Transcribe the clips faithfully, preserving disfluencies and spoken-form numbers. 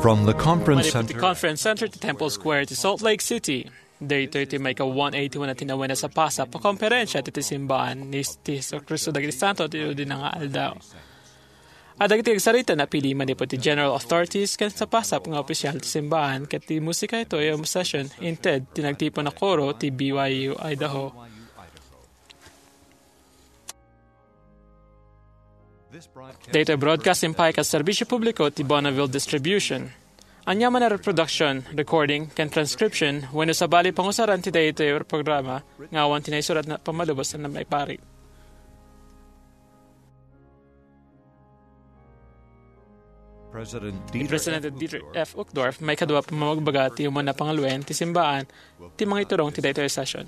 From the Conference Manipud ti Center. Conference Center ti Temple Square ti Salt Lake City. Daytoy ti maika one eighty-one a tinawen a sapasap a konferensia ti, ti simbaan ni, ti Jesu-Cristo dagiti Santo ti Udina nga Aldaw. A dagiti agsarita napili manipud ti general authorities ken sapasap nga opisyal ti simbaan ket ti musika itoy a session inted ti nagtipon a koro ti B Y U Idaho. Daytoy broadcasting pay ket serbisyo publiko ti Bonneville Distribution. Ania man a reproduction, recording, ken transcription wenno sabali pangusaran ti daytoy programa nga awan ti naisurat a pammalubos a maiparit. Ni President Dieter F. Uchtdorf, maikadua a pamagbaga ti umuna a pangaluen ti simbaan ti mangiturong ti daytoy a session.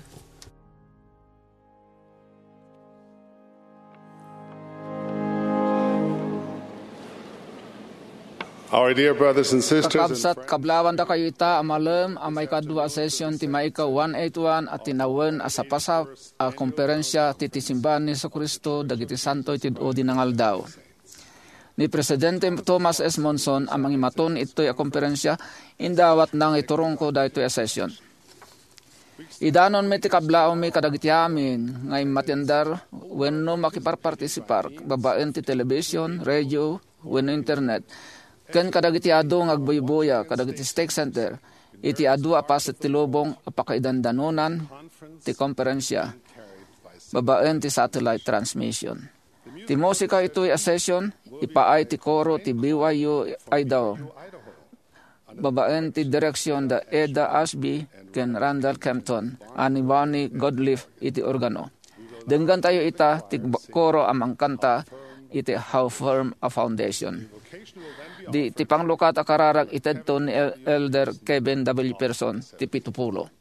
Our dear brothers and sisters, in Kakabsat, kablaawan dakayo ita a malem a maikadua a session ti maika one eighty-one a tinawen a sapasap a konferensia ti, ti simbaan ni Jesu-Cristo dagiti Santo iti Udina nga Aldaw. Ni Presidente Thomas S. Monson a mangimaton itoy a konferensia, indawatna nga iturongko daytoy a session. Idanonmi ti kablaawmi kadagiti amin nga immatendar wenno makiparpartisipar babaen ti television, radio, wenno internet, ken kadagiti adu nga agbuybuya kadagiti stake center iti adu a paset ti lubong a pakaidandanonan ti konferensia babaen ti satellite transmission. Ti musika itoy a session, ipaay ti koro ti B Y U Idaho, babaen ti direksion da Eda Ashby ken Randall Kempton, a ni Bonnie Godliff iti organo. Denggantayo ita ti koro a mangkanta iti How Firm a Foundation. Di ti panglukat a kararag itedto ni El-, Elder Kevin W. Pearson ti pitupulo.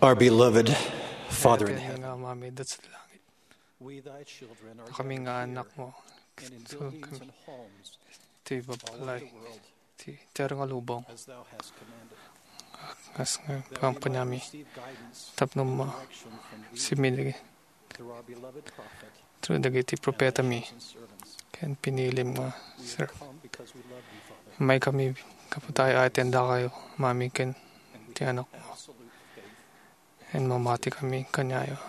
Our beloved Father in heaven, nga Amami iti langit. We, thy children, are kami nga anak mo. Ti babbalay ti tiar nga lubong. As nga kampanyami. Tapno ma siminigi. Through dagiti propetami ken pinilim nga sir. May kami kapatay ay tendakayo, mami ken ti anak mo. And mamati kami kanyayo.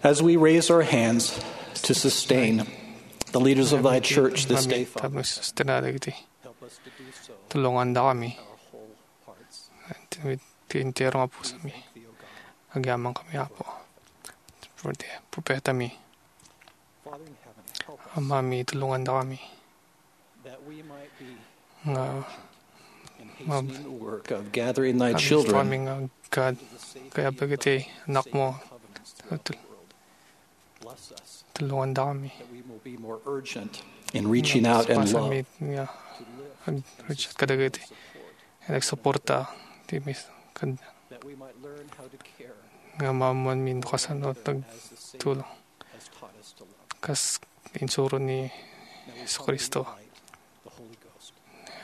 As we raise our hands to sustain the leaders of thy church this day, Father, tapno sustena dagiti tulonganda kami. Ti, ti entero nga pusami. Agyaman kami, Apo. Ti propetami. Amami, tulonganda kami. Nga mab- kami nga agkayab dagiti anak mo. Tul-, tulonganda kami. In reaching out and love. Nga ag-reach out kadagiti. Nga agsuporta. Ti mis-, kad-, nga maammoanmi no kasano nagtulong. Kas insuro ni Jesu-Cristo.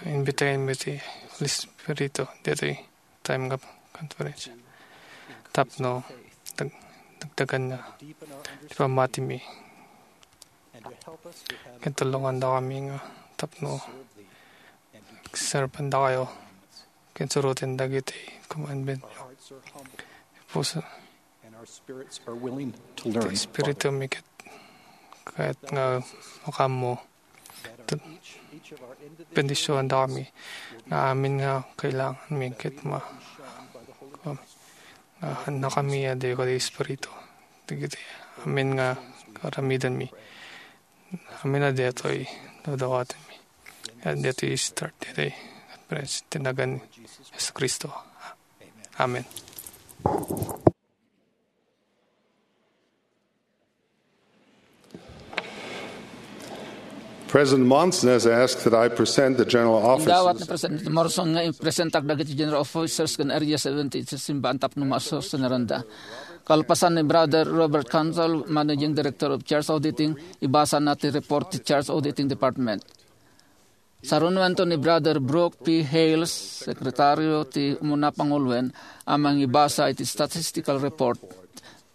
Imbitaenmi ti Holy Spirit ditoy time nga conference. Tapno dag-, dagdagan nga ti pammatimi. Ket tulongandakami nga tapno servendakayo ken suroten dagiti commandment. Puso, And our spirits are willing to learn. Ti espiritu mi ket kayat nga makaammo. Bendisionan dakami nga amin nga kailangan mi ket ma-, nga annakami a di kadi espiritu. Dagiti amin nga aramiden mi. Amin a detoy dadawaten mi. Ket detoy start, detoy conference, ti nagan Jesu Cristo. Amen. President Monson has asked that I present the general officers. Indawat ni President Monson nga ipresentak dagiti general officers ken Area seventy iti simbaan tapno masostenaranda. Kalpasan ni Brother Robert Council, Managing Director of Church Auditing, ibasana ti report ti Church Auditing Department. Sarunuanto ni Brother Brooke P. Hales, Sekretaryo ti Umuna Panguloen, a mangibasa iti statistical report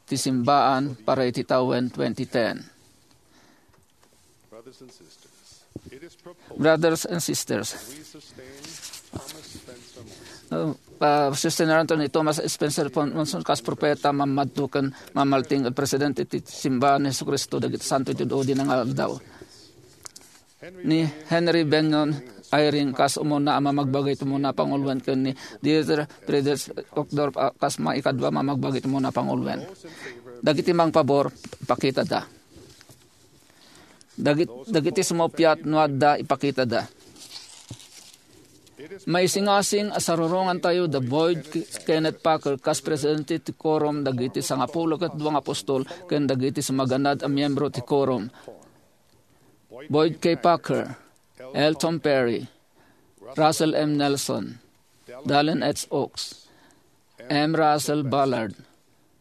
ti simbaan para iti tawen twenty ten. Brothers and sisters, it is proposed Brothers and sisters, we sustain Thomas Spencer Monson. Uh, pa-, sustenanto ni Thomas Spencer Monson kas propeta, mamadto ken mamalting a presidente ti simbaan ni Jesu-Cristo dagiti santo iti adu-adu nga aldaw. Ni Henry Bennion Eyring kas umuna a mamagbaga iti umuna panguloen ken ni Dieter Friedrich Uchtdorf a kas maikadua a mamagbaga iti umuna panguloen. Dagiti mangpabor, ipakitada. Dagit-, dagiti sumuppiat no adda, ipakitada. Maisingasing a sarurongantayo da Boyd K-, Kenneth Packer kas presidente ti Quorum dagiti Sangapulo ket Dua nga Apostol ken dagiti sumaganad a miyembro ti Quorum. Boyd K. Packer, Elton Perry, Russell M. Nelson, Dallin H. Oaks, M. Russell Ballard,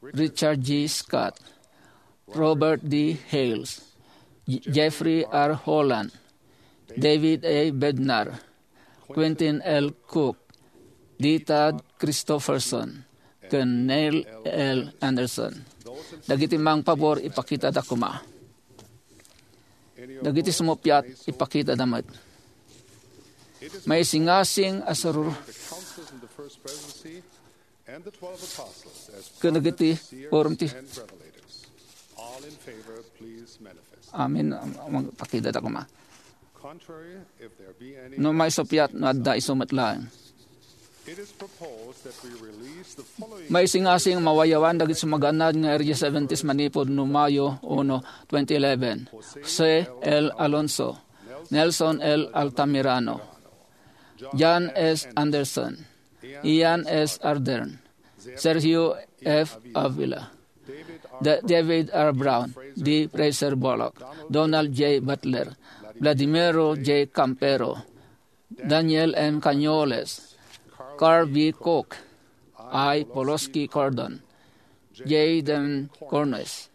Richard G. Scott, Robert D. Hales, J-, Jeffrey R. Holland, David A. Bednar, Quentin L. Cook, D. Todd Christofferson, ken Neil L. Andersen. Dagiti mangpabor, ipakitada koma. Dagiti sumuppiat, ipakitada met. Maisingasing a sarur-, And the twelve apostles as ken dagiti prophets, seers, quorum ti and revelators. All in favor, please manifest. Amin, am-, am-, pakidata koma. Contrary, if there be any No maisuppiat, no adda isu met laeng. It is proposed that we release the following Maisingasing mawayawan dagiti sumaganad nga Area seventies manipud no Mayo uno, twenty eleven. Jose L. Alonso, Nelson L. Altamirano, John S. Anderson, Ian S. Ardern, Sergio F. Avila, Da-, David R. Brown, D. Fraser Bullock, Donald J. Butler, Vladimiro J. Campero, Daniel M. Cañoles, Carl B. Cook, I. Poloski Cordon, J. Dem Cornes,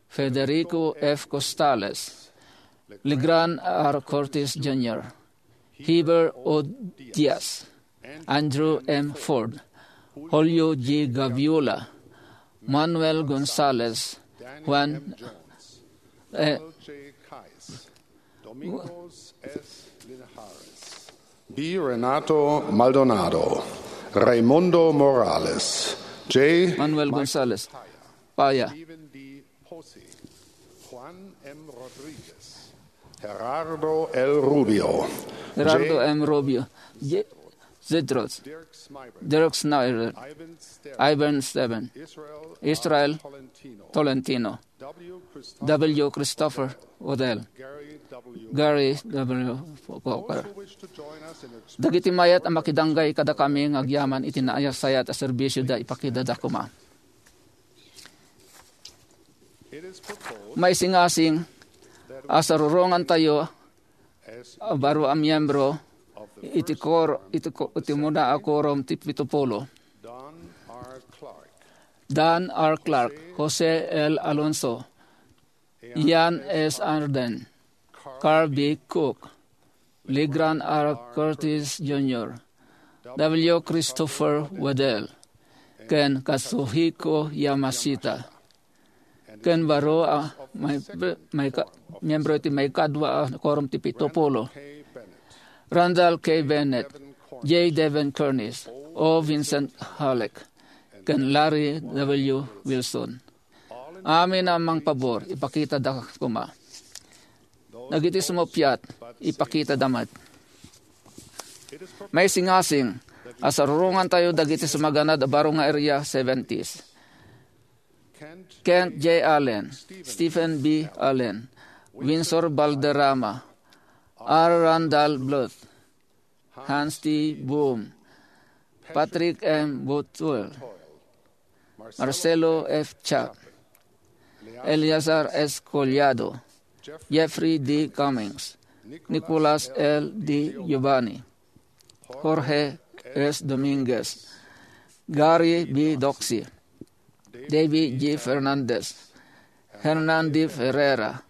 Federico F. Costales, Legrand R. Curtis Junior, Heber O. Diaz, Andrew M. Ford, Julio G. Gaviola, Manuel Gonzalez, Juan, eh, Domingos S. Linares, B. Renato Maldonado, Raimundo Morales, J. Manuel Gonzalez, Paya, Stephen D. Posey, Juan M. Rodriguez, Gerardo L. Rubio, Gerardo J. M. Rubio, J. Zedros, Dirk Snyder, Dirk Snyder, Ivan Stevens, Ivan Stevens, Israel Israel R. Tolentino, Tolentino, W. Christopher, W. Christopher Waddell, Gary W. Gary W. Coker. Dagiti mayat a makidanggay kadakami nga agyaman iti naayat-sayat a serbisio da ipakidada koma. Maisingasing a sarurongantayo a baro a miyembro iti kor-, iti ko-, iti umuna a quorum ti pito pulo. Don R. Clark, Jose L. Alonso, Ian S. Arden, Carl B. Cook, Legrand R. Curtis Junior, W. Christopher Waddell, ken Katsuhiko Yamashita. Ken baro a may, may ka-, miyembro iti maikadua a quorum ti pito pulo. Randall K. Bennett, J. Devin Cornish, O. Vincent Halleck, ken Larry W. Wilson. Amin a mangpabor, ipakitada koma. Dagiti sumuppiat, ipakitada met. Maisingasing a sarurongantayo dagiti sumaganad a baro nga Area seventies. Kent J. Allen, Stephen B. Allen, Winsor Valderrama, R. Randall Bluth, Hans T. Boom, Patrick M. Butwell, Marcelo F. Chapp, Eleazar S. Collado, Jeffrey D. Cummings, Nicolas L. D. Giovanni, Jorge S. Dominguez, Gary B. Doxey, David G. Fernandez, Hernan D. Ferreira,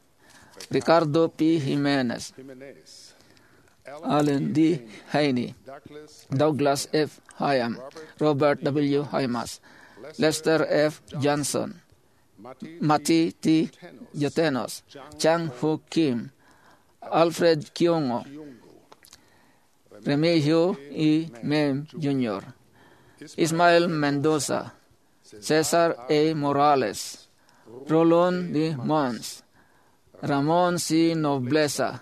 Ricardo P. Jimenez, Allen D. Haney, Douglas F. Hyam, Robert W. Hymas, Lester F. Johnson, Mati T. Jotenos, Chang Hu Kim, Alfred Kiongo, Remigio E. Mem Junior, Ismael Mendoza, Cesar A. Morales, Rolon D. Mons, Ramon C. Nobleza,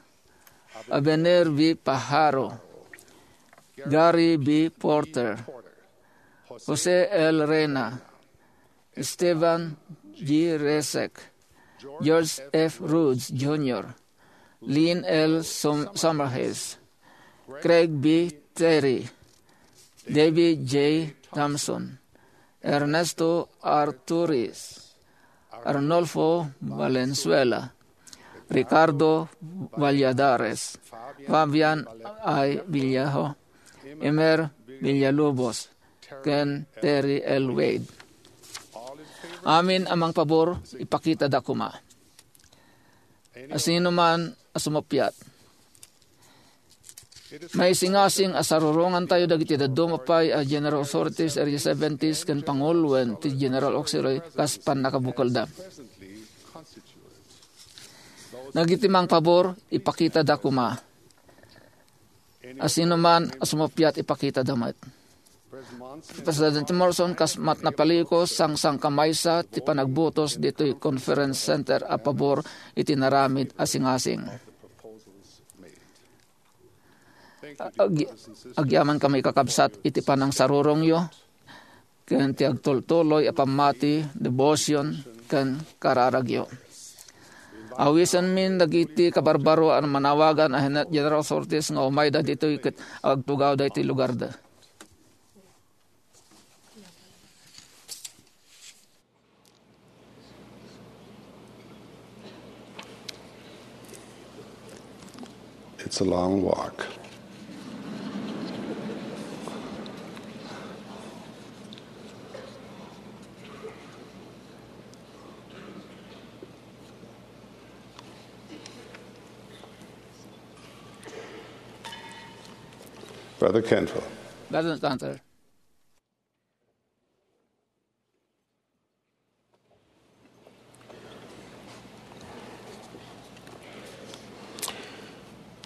Abener V. Pajaro, Gary B. Porter, Jose L. Reyna, Esteban G. Resek, George F. Rhodes Junior, Lynn L. Som-, Summerhills, Craig B. Terry, David J. Thompson, Ernesto Arturis, Arnulfo Valenzuela, Ricardo Valladares, Fabian I. Villejo, Emer Villalobos, ken Terry L. Wade. Amin a mangpabor, ipakitada koma. Asino man a sumuppiat. Maisingasing a sarurongantayo dagiti dadduma pay a General Authorities, Area seventies, ken panguloen ti General Auxiliary kas pannakabukelda. Dagiti mangpabor, ipakitada koma. Asino man a sumuppiat, ipakitada met. President Monson, kas met napaliko, sangsangkamaysa ti panagbutos ditoy Conference Center a pabor iti naramid a singasing. Ag-, agyaman kami, kakabsat, iti panangsarurongyo ken ti agtultuloy a pammati, devotion, ken kararagyo. Awisenmin dagiti kabarbaro a manawagan a General Authorities nga umayda ditoy ket agtugawda iti lugarda. It's a long walk. Brother Cantwell. Brother Cantwell.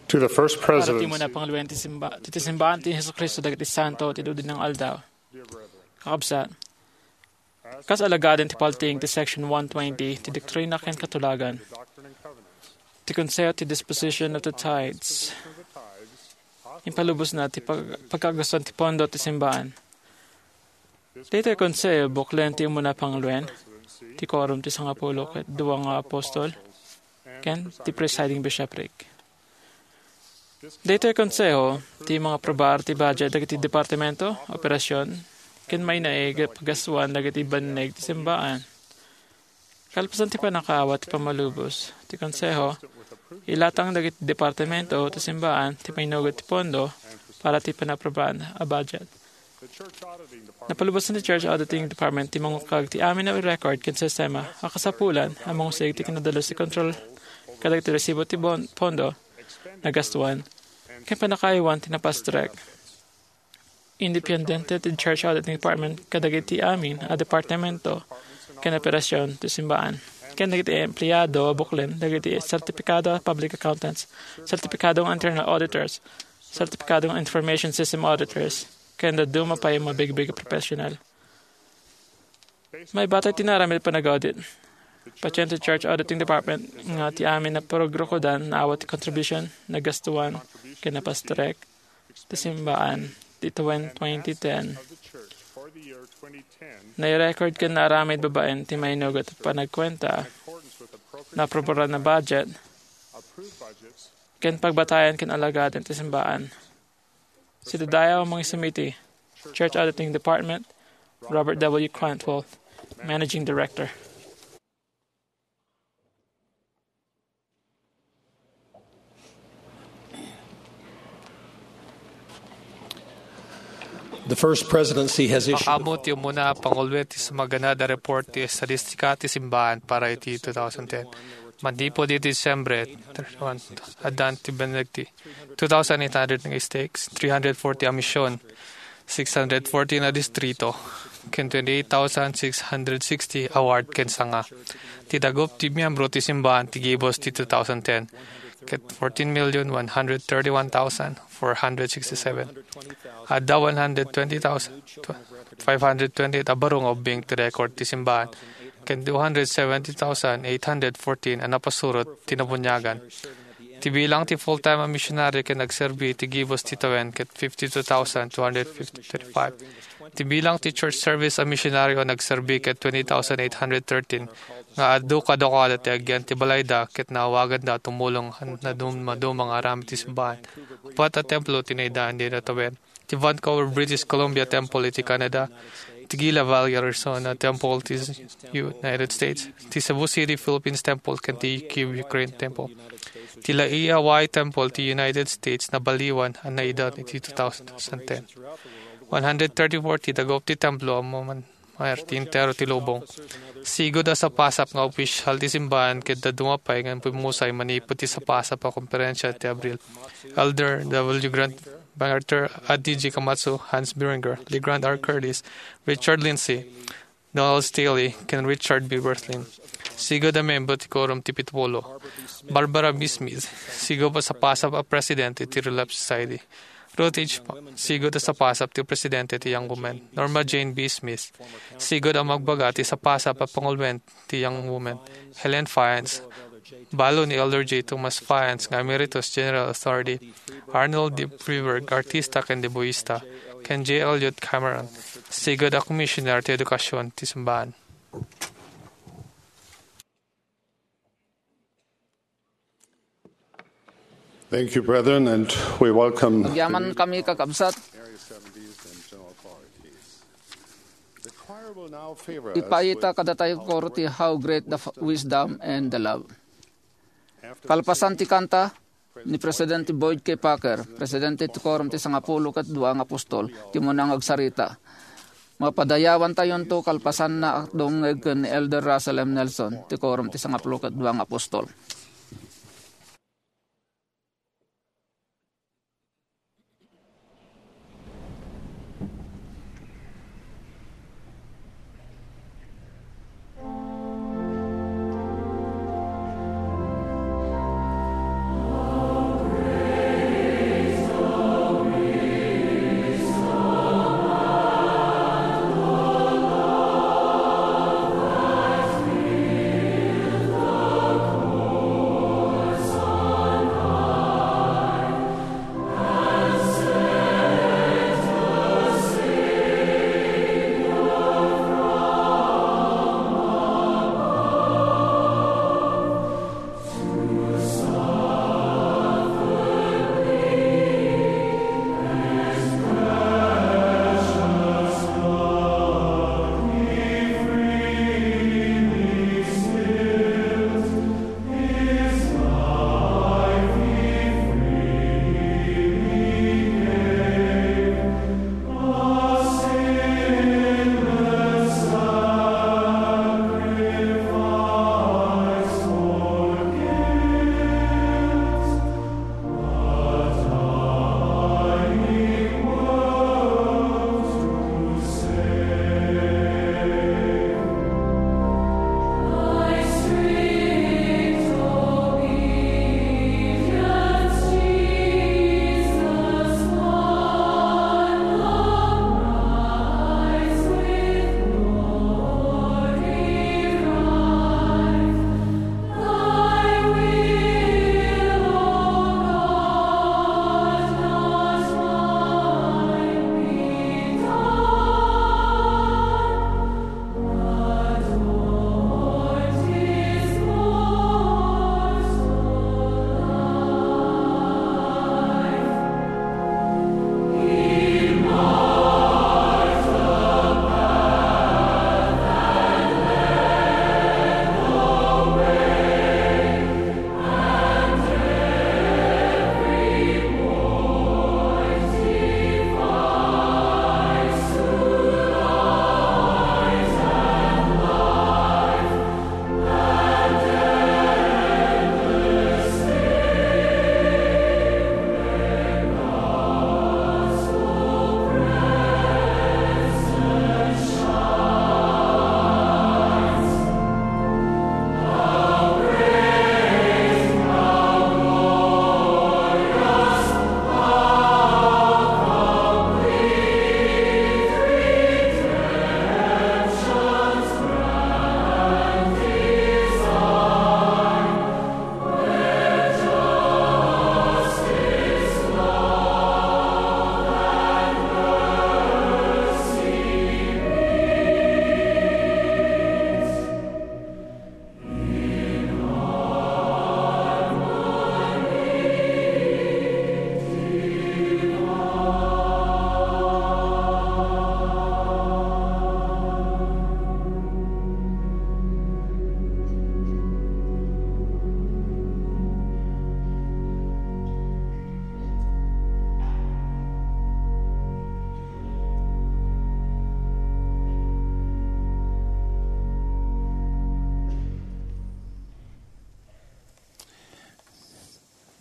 To the First President. Para ti umuna panguloen ti simba-, ti, ti simbaan ti Jesu-Cristo dagiti Santo ti Dudinna nga Aldaw. Kakabsat, kas alagaden ti paltiing ti Section one twenty ti Doktrina ken Katulagan, ti Konseho ti Disposition of the Tithes, impalubosna ti pag-, pagkagastuan ti pondo ti simbaan. Daytoy a konseho, buklen ti umuna panguloen, ti Quorum ti Sangapulo ket Dua nga Apostol, ken ti Presiding Bishopric. Daytoy a konseho, ti mangaprobar ti budget dagiti departamento, operasyon, ken mainaig a paggastuan dagiti banneg ti simbaan. Kalpasan ti pannakaawat ti pammalubos ti Konseho, ilatang dagiti departamento ti simbaan ti mainugot ti pondo para ti panaprobaan a budget. Napalubosan ti Church Auditing Department ti mangukag ti amin a record ken sistema a kasapulan a mangusig ti kinadalus ti kontrol kadagiti resibo ti bon-, pondo, nagastuan, ken pannakaaywan ti napastrek. Independente ti Church Auditing Department kadagiti amin a departamento ken operasion ti simbaan, ken dagiti empleado a buklen dagiti sertipikado a public accountants, sertipikado nga internal auditors, sertipikado nga information system auditors, ken dadduma pay a mabigbig a professional. Maibatay ti naaramid a panag-audit, patien ti Church Auditing Department nga ti amin a pagrukodan naawat ti contribution, nagastuan, ken napastrek ti simbaan ti twen-, twenty ten. Nairecord ken naaramid babaen ti mainugot a panagkuenta, naaprobaran a budget, ken pagbatayan ken alagaden ti simbaan. Sida dayaw a mangisumiti, Church Auditing Department, Robert W. Cantwell, Managing Director. The First Presidency has issued Makaammo ti umuna a panguloen ti sumaganad a report ti estadistika ti simbaan para iti two thousand ten. Manipud iti Disyembre thirty-one, addan ti benegti two thousand eight hundred nga stakes, three hundred forty a mision, six hundred fourteen a distrito, ken twenty-eight thousand six hundred sixty a ward ken sanga. Ti dagup ti miyembro ti simbaan ti gibus ti two thousand ten, ket fourteen million one hundred thirty-one thousand four hundred sixty-seven. Adda one hundred twenty thousand five hundred twenty-eight a baro nga ubbing ti record ti simbaan, ken two hundred seventy thousand eight hundred fourteen a napasurot ti nabuniagan. Ti bilang ti full-time a missionary ken nagserbi ti gibus ti tawen ket fifty-two thousand two hundred fifty-five. Ti bilang ti church service a missionary a nagserbi ket twenty thousand eight hundred thirteen, nga adu kadakuada ti agyan ti balayda ket naawaganda a tumulong a nadum-, maduma nga aramid ti simbaan. Uppat a templo ti naidaan dita tawen. Ti Vancouver, British Columbia Temple iti Canada, ti Gila Valley, Arizona Temple ti United States, ti Cebu City, Philippines Temple, ken ti Kyiv, Ukraine Temple. Ti Laie, Hawaii Temple ti United States, nabaliwan a naidaan iti two thousand ten. One hundred thirty-four ti dagup ti templo a maman-, maer ti entero ti lubong. Sigud a sapasap nga opisyal ti simbaan ket dadduma pay nga immumusay manipud ti sapasap a komperensia ti Abril. Elder W. Grant MacArthur, Addi G. Komatsu, Hans Berenguer, Legrand R. Curtis, Richard Lindsay, Donald Staley, ken Richard B. Wirthlin. Sigud a membro ti Quorum ti Pitupulo. Barbara B. Smith, sigud a sapasap a presidente ti Relief Society. Ruth H. Pop, sigud a sapasap ti presidente ti Young Women. Norma Jane B. Smith, sigud a magbaga ti sapasap a panguloen ti Young Women. Helen Fiennes, balo ni Elder J. Thomas Fiennes nga Emeritus General Authority, Arnold D. Friberg, artista ken deboista, ken J. Elliott Cameron, sigud a Commissioner ti Edukasion ti Simbaan. Thank you, brethren, and we welcome Agyaman kami, kakabsat. Area seventies and general authorities. The choir will now favor us Ipayta with kadatayo koro ti How Great the F-, Wisdom and the Love. Kalpasan ti kanta ni Presidente Boyd K. Packer, Presidente ti Quorum ti Sangapulo ket Dua nga Apostol, ti umuna nga agsarita. Mapadayawantayonto kalpasanna a dumngeg ken ni Elder Russell M. Nelson, ti Quorum ti Sangapulo ket Dua nga Apostol.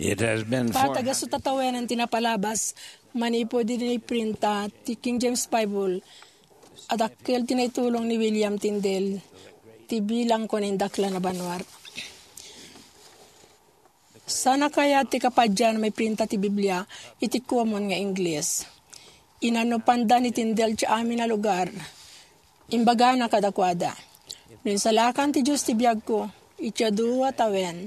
It has been Patagaso ta tawenan ti napalabas manipud idi printa ti King James Bible. A dakkel ti naitulong ni William Tyndale ti bilang ken indaklan a banua. Saan a kayat ti kapadian maiprinta ti Biblia iti common nga Ingles. Inannupanda ni Tyndale ti amin a lugar. Imbagana kadakuada, "No insalakan ti Dios ti biagko, iti adu a tawen,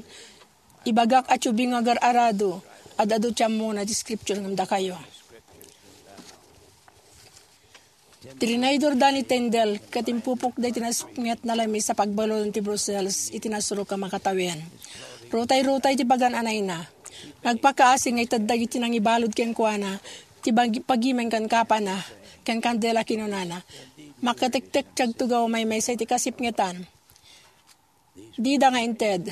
ibagak a tubing nga agar-arado, ad-adu ti ammona ti scripture ngem dakayo." Tinaydorda ni Tyndale ket impupokda iti nasipnget a lamis a pagbaludon ti Brussels iti nasurok a makatawen. Rutay-rutay ti pagan-anayna. Nagpakaasi nga itedda iti nangibalud kenkuana ti bagi-, pagimen ken kapana ken kandela kinunana. Makatektek ti agtugaw maymaysa iti kasipngetan. Dida nga inted.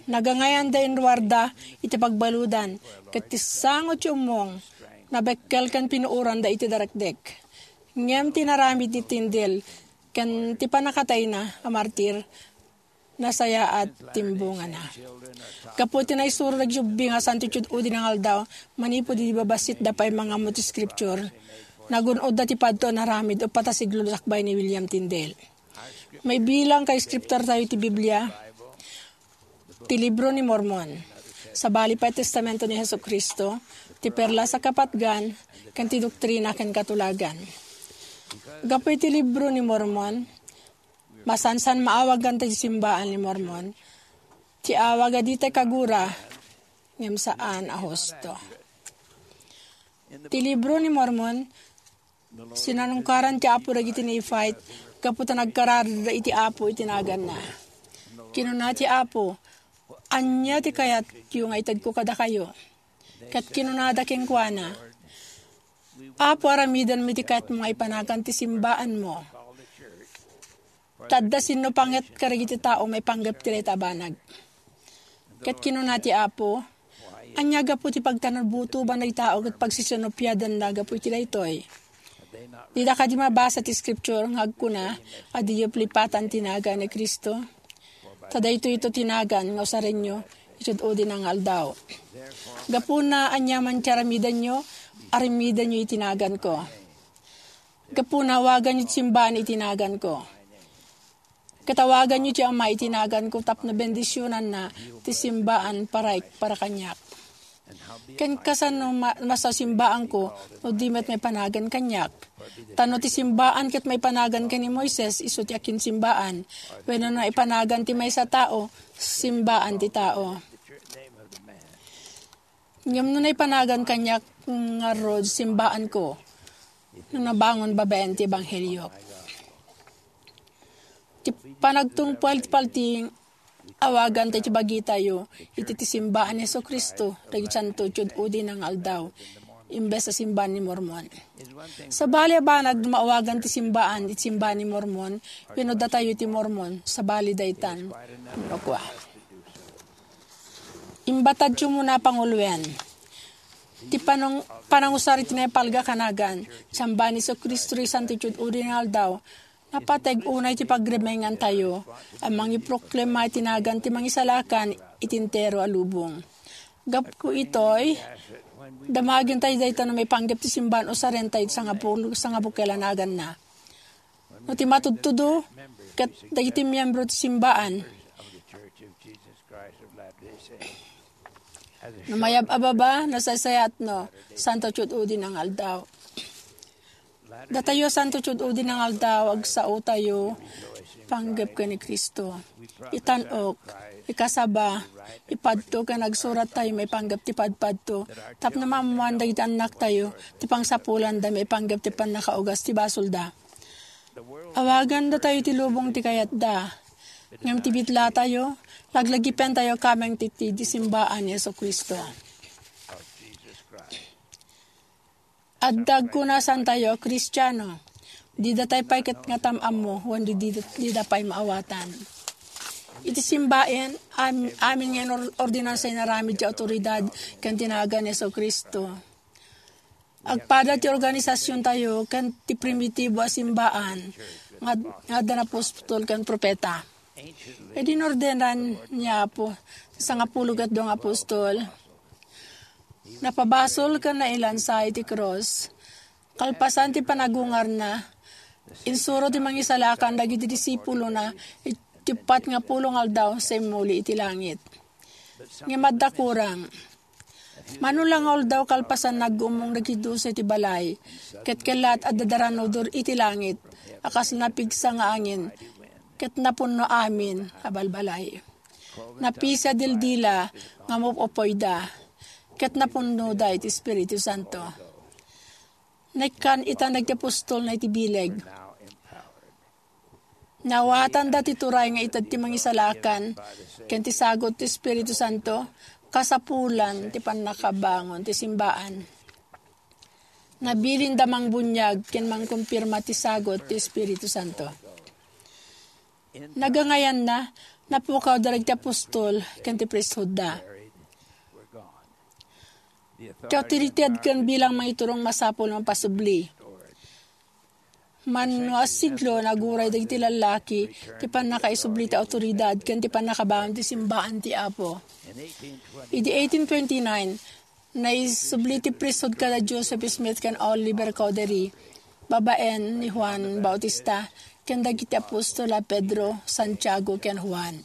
Nagangayanda inruarda iti pagbaludan, ket ti sango ti ummong, nabekkel ken pinuoranda iti darekdek. Ngem ti naramid ni Tyndale ken ti pannakatayna a martir, nasayaat ti imbungana. Gapu iti naisuro dagiti ubing a santo iti ud-udi nga aldaw, manipud idi babassitda pay mangammo ti scripture, nagun-odda ti padto a naramid uppat a siglo sakbay ni William Tyndale. Maibilang nga scripture tayo ti Biblia, ti Libro ni Mormon. Sabali pay ti Testamento ni Jesu-Cristo, ti Perlas a Kapatgan, ken ti Doktrina ken Katulagan. Gapu iti Libro ni Mormon, masansan maawagan ti simbaan ni Mormon, ti awag a ditay kagura, ngem saan a husto. Ti Libro ni Mormon, sinanungkaran ti Apo dagiti Nephite gapu ta nagkararagda iti Apo iti naganna. Kinuna ti Apo, "Ania ti kayatyo nga itedko kadakayo?" Ket kinunada kenkuana, "Apo, aramidenmi ti kayatmo nga ipanagan ti simbaanmo." Ta adda sinnupangek kadagiti tao maipanggep ti dayta a banag. Ket kinuna ti Apo, "Ania gapu ti pagtanudbutoban dagiti tao ket pagsisinupiadanna gapu iti daytoy? Dida kadi mabasa ti scripture nga agkuna a diyo palipatan ti nagan ni Cristo? Ta daytoy ito ti nagan nga usarenyo iti ud-udina nga aldaw. Gapuna, aniaman ti aramidenyo, aramidenyo iti naganko." Gapuna, awaganyo ti simbaan iti naganko. Ket awaganyo ti Ama iti naganko tapno bendisionanna ti simbaan para, para kaniak. Ken kasano ma-, masaw simbaanko no di met maipanagan kaniak? Ta no ti simbaan ket maipanagan ken ni Moises, isu ti akinsimbaan. Wenno no maipanagan ti maysa a tao, simbaan ti tao. Ngem no naipanagan kaniak ngarud, simbaanko no nabangon babaen ti ebanghelio. Ti panagtungpal ti paltiing, awagan tayo ti bagitayo iti ti simbaan ni Jesu-Cristo dagiti santo iti ud-udina nga aldaw, imbes a simbaan ni Mormon. Sabali a banag no maawagan ti simbaan iti simbaan ni Mormon, wenno datayo ti Mormon, sabali daytan, no kua. Imbatadyo muna panguloen. Ti panang-, panangusar iti naipalga a nagan, simbaan ni Jesu-Cristo iti santo iti ud-udi nga aldaw, napateg unay ti pagrimengantayo a mangiproklama iti nagan ti Mangisalakan iti entero a lubong. Gapu itoy, damagentayo dayta no maipanggep ti simbaan usarentayo iti sangapu-, sangabukel a naganna. No ti matudtudo, ket dagiti miyembro ti simbaan. No mayab a baba, nasaysayaat no, santo iti ud-udi nga aldaw. Datayo santo iti ud-udi nga aldaw, agsaotayo, panggep ken ni Cristo. Itan-ok, ikasaba, ipadto ken agsurat tayo maipanggep ti padpadto, tapno maammoan dagiti annaktayo, ti pangsapulanda maipanggep ti pannakaugas ti basolda. Awaganda tayo ti lubong ti kayatda. Ngem ti bitlatayo, laglagipentayo kameng ti, ti, ti simbaan ni Jesu-Cristo. Adda agkuna santayo a Kristiano. Dida tay pay ket nga tam-ammo, wen di, di, dida pay maawatan. Iti simbaen, am-, amin nga inor-, ordinansa inaramid ti autoridad ken ti nagan ni Jesu-Cristo. Agpada ti organisasiontayo ken ti primitibo a simbaan nga ad-, nga adda apostol ken propeta. Idi inordenan ni Apo ti sangapulo ket dua nga apostol, napabasol ken nailansa iti krus. Kalpasan ti panagungarna, insuro ti Mangisalakan dagiti disipulona iti uppat nga pulo nga aldaw sa immuli iti langit. Ngem adda kurang. Mano la nga aldaw kalpasan, naggummong dagiti dose iti balay, ket kellaat adda daranudor iti langit a kas napigsa nga angin, ket napunno amin a balbalay. Napisiada ti dildila nga mup-upoyda, ket napunnoda iti Espiritu Santo. Naikkan ita dagiti apostolna iti bileg. Naawatanda ti turay nga ited ti Mangisalakan ken ti sagut ti Espiritu Santo, kasapulan ti pannakabangon ti simbaan. Nabilinda mangbuniag ken mangkumpirma ti sagut ti Espiritu Santo. Nagangayanna, napukawda dagiti apostol ken ti priesthoodda. Ti awtorited ken bilang mangiturong masapul mapasubli. Mano a siglo, naguray dagiti lallaki ti pannakaisubli ti awtoridad ken ti pannakabangon ti simbaan ti Apo. Idi eighteen twenty-nine, naisubli ti priesthood kada Joseph Smith ken Oliver Cowdery, babaen ni Juan Bautista, ken dagiti apostol a Pedro, Santiago, ken Juan.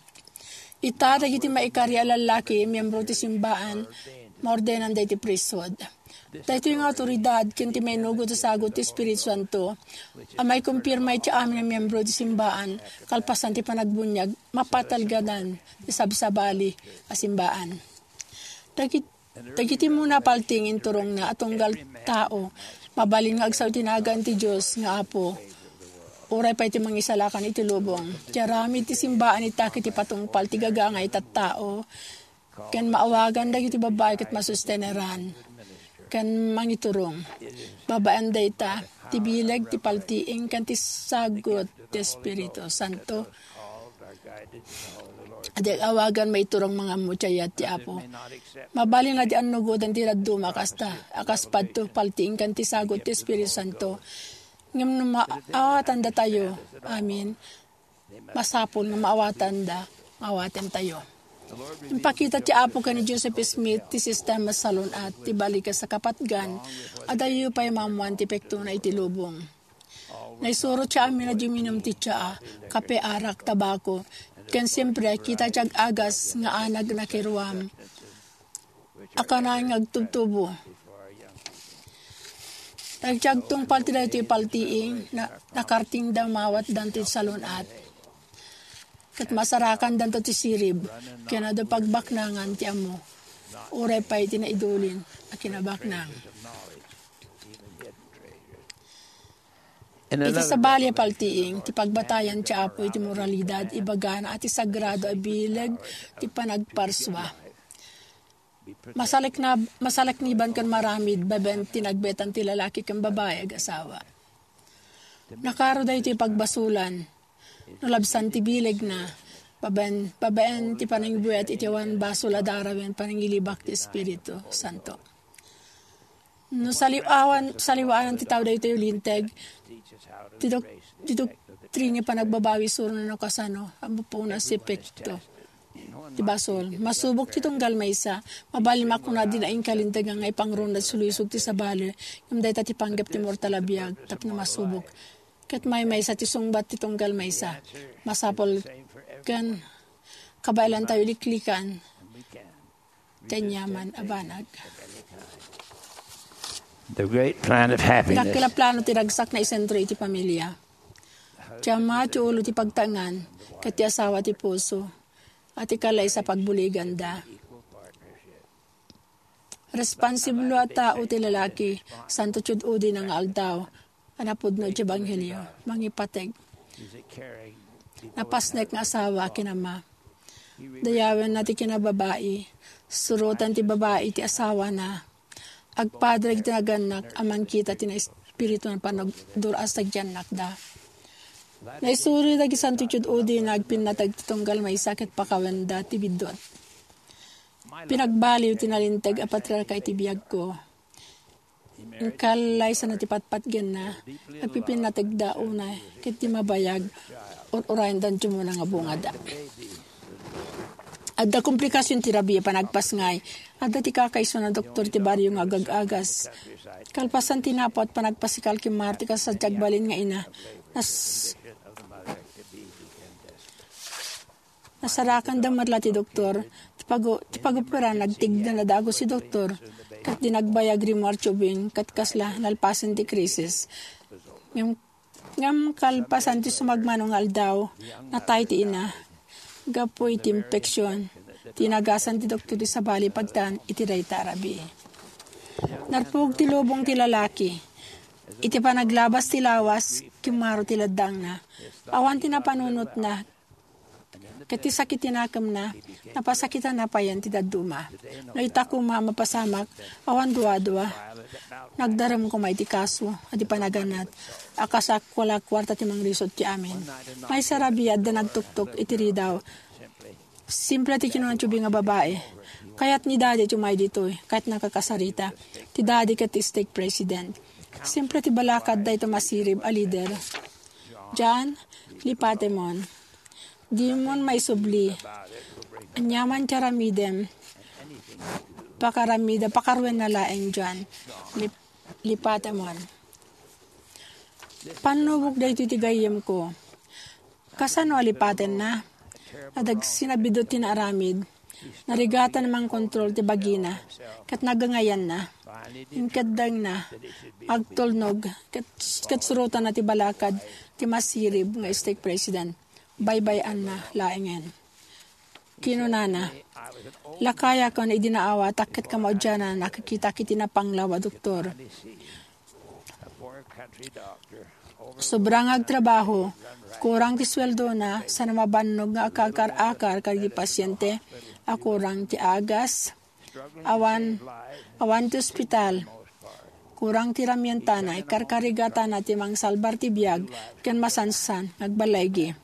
Ita, dagiti maikari a lallaki, miyembro ti simbaan, maordenanda iti priesthood. Daytoy nga awtoridad ken ti mainugot a sagut ti Espiritu Santo a maikumpirma iti amin a miyembro iti simbaan kalpasan ti panagbuniag, mapatalgadan ti sabsabali a simbaan. Dagit-, dagiti muna paltiing inturongna a tunggal tao, mabalin nga agsao iti nagan ti Dios nga Apo, uray pay ti Mangisalakan iti lubong. Ti aramid ti simbaan ita ket ipatungpal ti gagangay a tattao, ken maawagan dagiti babbai ket masusteneran ken mangiturong. Babaen dayta, ti bileg ti paltiing ken ti sagut ti Espiritu Santo. Adi ag-awagan maiturong mangammo ti ayat ti Apo. Mabalin a di annugotan ti dadduma a kasta, a kas padto paltiing ken ti sagut ti Espiritu Santo. Ngem no maawatandatayo, amin, masapul nga maawatanda, maawatentayo. Impakita ti Apo ken ni Joseph Smith ti sistema salun-at ti balikas a kapatgan, adayo pay maammoan ti epektona iti lubong. Naisuro ti amin a di uminum ti tsaa, kape, arak, tabako, ken siempre, kita ti ag-agas nga anag nakiruam a kanayon nga agtubtubo. Dagiti agtungpal ti daytoy paltiing, na-, nakartingda mawatdan ti salun-at. Ket masarakandanto ti sirib, ken adu pagbaknangan ti ammo, uray pay ti naidulin a kinabaknang. Iti sabali a paltiing, ti pagbatayan ti Apo iti moralidad, ibagana a ti sagrado a bileg ti panagparsua. Masalekna-, masalakniban ken maramid babaen ti nagbetan ti lalaki ken babai ag-asawa. Nakaro daytoy pagbasolan. No labsan ti bilegna, babaen, babaen ti panangibuyat iti awan basol a darawen panangilibak ti Espiritu Santo. No saliwawan, saliwaan ti tao daytoy linteg, ti dok-, ti doktrini panagbabawi surna no kasano a mapunas ti epekto ti basol. Masubok ti tunggal maysa, mabalin makuna a dina inka linteg nga ipangruna ti sulisog ti sabali, ngem dayta ti panggep ti mortal a biag tapno masubok. Ket maymaysa ti sungbat ti tunggal maysa. Masapul ken kabaelantayo liklikan ti aniaman a banag. The great plan of happiness. Dakkel a plano ti ragsak nga isentro iti pamilia. Ti ama ti ulo ti pagtaengan, ket ti asawa ti puso, a ti kalaysa pagbuliganda. Responsiblo a tao ti lalaki, santo ti ud-udina nga aldaw, a napudno iti ebanghelio, mangipateg. Napasnek nga asawa ken ama. Dayawenna ti kinababai, surotan ti babai ti asawana. Agpader iti nagannak a mangkita ti naespiritu a panagdur-as dagiti annakda. Naisuri dagiti santo ti ud-udina agpinnateg ti tunggal maysa ket pakawenda ti biddut. Pinagbaliw ti nalinteg a patriarka iti biagko. Inkallaysana ti patpatgenna, agpipinnategda unay ket di mabayag, ur-urayendan ti umuna nga bungada. Adda komplikasion ti rabii a panagpasngay. Adda ti kakaisuna a doktor ti barrio nga agag-agas. Kalpasan ti napawat panagpasikal, kimmaro ti kasasadi ti agbalin nga ina. Nas-, nasarakanda met la ti doktor. Ti pagu-, ti paguperan, nagtigna na dagus ti doktor. Ket di nagbayag rimmuar ti ubing, ket kasla nalpasen ti krisis. Ngem Ngem kalpasan ti sumagmamano nga aldaw, natay ti ina. Gapu iti impeksion, tinagasan ti doktor ti sabali pagtan iti dayta a rabii. Narpug ti lubong ti lalaki. Iti panaglabas ti lawas, kimmaro ti laddangna. Awan ti napanunotna, ket ti sakit ti nakemna, napasakitanna payen ti dadduma. No ita koma a mapasamak, awan duadua, nagdarem koma iti kaso a di panaganat a kas a wala kuarta ti mangrisut ti amin. Maysa a rabii, adda nagtuktok iti ridaw. Simple ti kinuna ti ubing a babai. Kayat ni Daddy ti umay ditoy, kayat nakakasarita. Ti Daddy ket ti stake president. Simple ti balakad dayta masirib a leader. John, lipatemon. Dimon maisubli. Aniaman ti aramidem, pakaramida, pakaruenna laeng, John. Lip-, lipatemon. Pannubok daytoy ti gayyemko. Kasano a lipatenna? Nadag-, sinabiddut ti naaramid. Narigatan mangkontrol ti bagina, ket nagangayanna. Inkeddengna, agtulnog, ket, ket surotanna ti balakad ti masirib nga stake president. Baybay-anna laengen. Kinunana, "Lakayakon idi naawatak ket kamaudianna nakikitak iti napanglaw a doktor. Sobra nga agtrabaho, kurang ti sueldona, saan a mabannog nga akakar-akar kadagiti pasiente a kurang ti agas, awan, awan ti ospital, kurang ti ramientana, ikarkarigatana ti mangsalbar ti biag ken masansan nga agbaligi."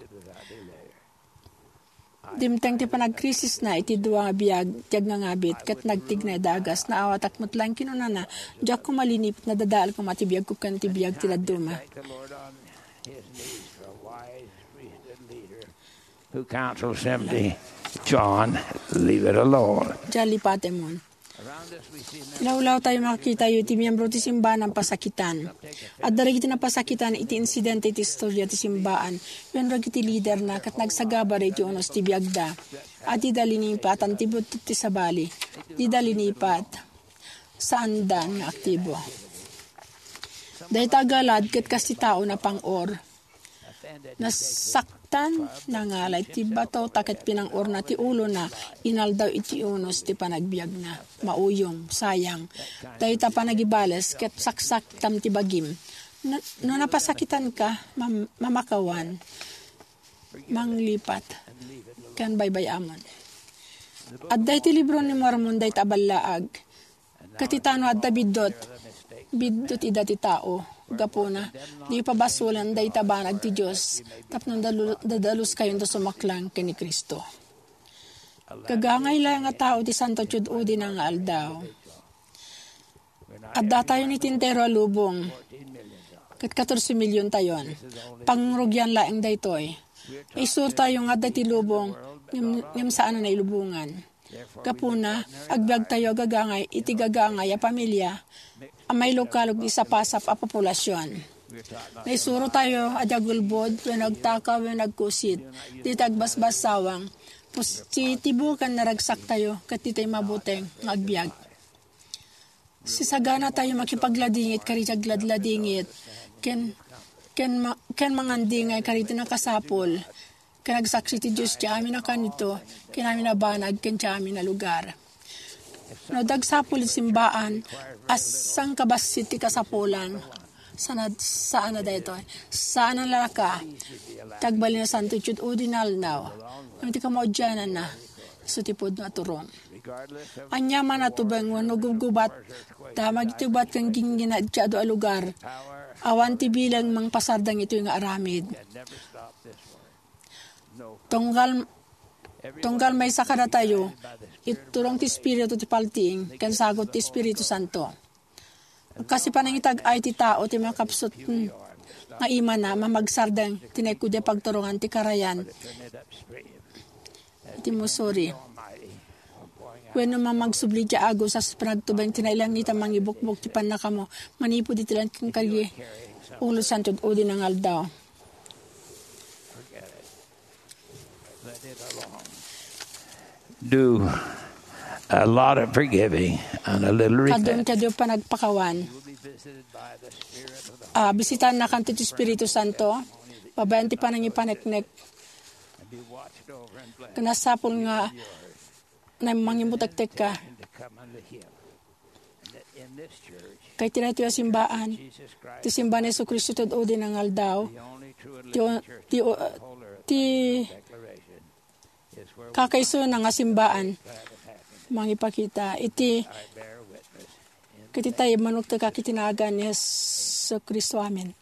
Dimteng ti panagkrisisna iti dua nga biag ti agngangabit ket nagtigna iti agas. Naawatak met laeng, kinunana, "Diak koma liniput, nadadael koma ti biagko ken ti biag ti dadduma." Who counsels him to, "John, leave it alone." Diak lipatemon. Lawlawtayo, makakitayo iti miyembro ti simbaan a napasakitan. Adda dagiti napasakitan iti insidente iti istoria ti simbaan wenno dagiti liderna ket nagsagaba iti unos ti biagda a dida linipatan ti buttot ti sabali, dida linipat, saandan nga aktibo. Dayta a galad ket kas ti tao napang-or. Nasaktan, nangalay ti bato, ta ket pinang-orna ti ulona, inaldaw iti unos ti panagbiagna. Mauyong, sayang. Dayta panagibales, ket saksaktam ti bagim. Na-, no napasakitanka, mam-, mamakawan, manglipat, ken baybay-amon. Adda iti libro ni Mormon dayta a ballaag. Ket itano adda biddut, biddut ida ti tao. Gapuna, di pabasolen dayta banag ti Dios, tapno dalu-, dadaluskayonto sumaklang ken ni Cristo. Gagangay laeng a tao ti Santo Tiud-udina nga aldaw. Addatayon iti entero a lubong, ket katorse miliontayon. Pangrugian laeng daytoy. Naisurotayo nga adda iti lubong, ngem, ngem saan a nailubongan. Gapuna, agbiagtayo a gagangay iti gagangay a pamilia a mailukalog iti sapasap a populasion. Naisurotayo a di agulbod wenno agtakaw wenno agkusit, dita agbasbassawang, positibo ken naragsaktayo ket dita immabuteng nga agbiag. Sisaganatayo makipagladingit kadagiti agladladingit ken, ken ma-, ken mangandingay kadagiti nakasapul ken agsaksi ti Dios ti amin a kanito ken amin a banag ken ti amin a lugar. No dagsapul ti simbaan a sangkabassit ti kasapulan, sana, saan a daytoy. Saan a nalaka ti agbalin a Santo Tiud-udi nga aldaw. Ngem ti kamaudiananna, isu ti pudno a turong. Aniaman a tubeng wenno gubgubat, damag iti ubat ken ginggina iti adu a lugar, awan ti bilang mangpasardeng itoy nga aramid. Tunggal, tunggal maysa kadatayo, iturong ti Espiritu ti paltiing ken sagut ti Espiritu Santo. Kas ti panangitag-ay ti tao ti makapsut, mm, nga imana, mamagsardeng ti naikut a pagturongan ti karayan iti Missouri. Wenno mamagsubli ti agus a panagtubeng ti nailangitan mangibukbok ti pannakamo manipud iti langit ken kalye, ulo santo udi nga aldaw. Do a lot of forgiving and a little Kadun repentance. Kadyo panagpakawan. Ah, bisitaennakan ti Espiritu Santo, babaen ti panangipaneknek. Ken nasapul nga na mangimutektek ka. Kay ti daytoy a simbaan, ti simba ni Jesu-Cristo ti udi nga aldaw, ti, ti, ti kakaisuna nga simbaan, mangipakita iti, iti tayo manuktek iti nagan ni Jesu-Cristo. Amen.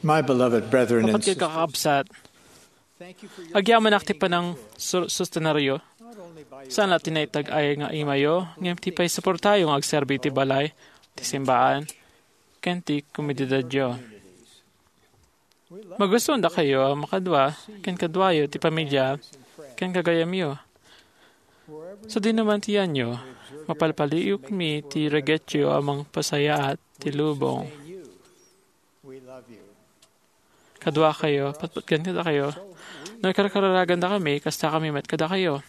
My beloved brethren and sisters, kakabsat, agyamanak ti panang su-, sustenaryo. Saan la ti naitag-ay nga imayo, ngem ti pay suportayo nga agserbi ti balay, ti simbaan, ken ti komunidadyo. Magustuendakayo a makadua ken kaduayo ti pamilya ken gagayemyo. Sadino man ti yanyo, mapalpaliiwmi ti reggetyo a mangpasayaat ti lubong. Kaduakayo, patpatgen kadakayo. No karkararagandakami, kastakami met kadakayo.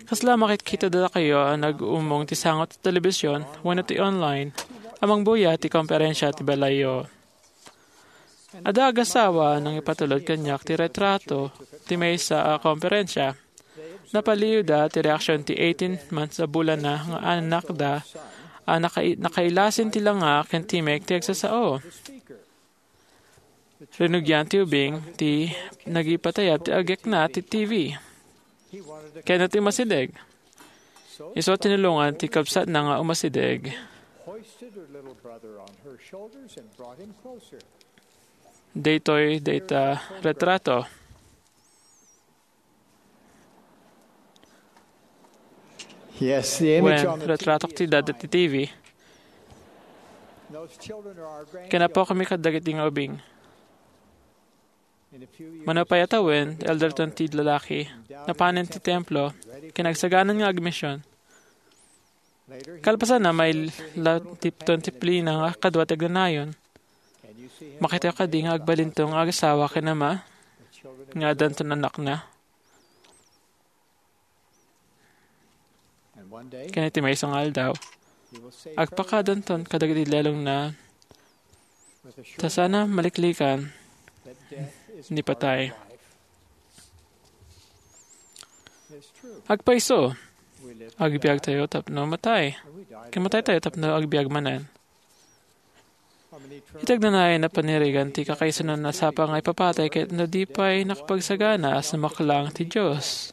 Kasla makitkita dakayo a nag-ummong ti sango ti telebision wenno ti online a mangbuya ti komperensia ti balayyo. Adda agasawa a nangipatulod kaniak ti retrato ti maysa a komperensia. Napaliiwda ti reaksion ti eighteen months a bulanna nga anakda a nakai-, nakailasin ti langa ken timek ti agsasao. Rinugian ti ubing ti nagipatayab ti agekna ti T V. Kayatna ti umasideg. Isu a tinulongan ti kabsatna nga umasideg. Daytoy dayta retrato. Yes, the image on the retrato ti dada ti T V. Ken apokami kadagiti nga ubing. Mano pay a tawen, ti elderton ti lalaki, napanen ti templo, ken agsaganan nga agmision. Kalpasanna, maila ti disiplina nga kadua ti agnanayon. Makitayo kadi nga agbalintong nga agasawa ken ama, nga addanton annakna? Ken iti maysa nga aldaw, agpakadanton kadagiti lelongna, ta saanna maliklikan ni patay. Agpayso, agbiagtayo tapno matay, ken mataytayo tapno agbiag manen. Iti agnanayon a panirigan ti kakaisunan a sapa nga ipapatay ket no di pay nakapagsagana a sumaklang ti Dios.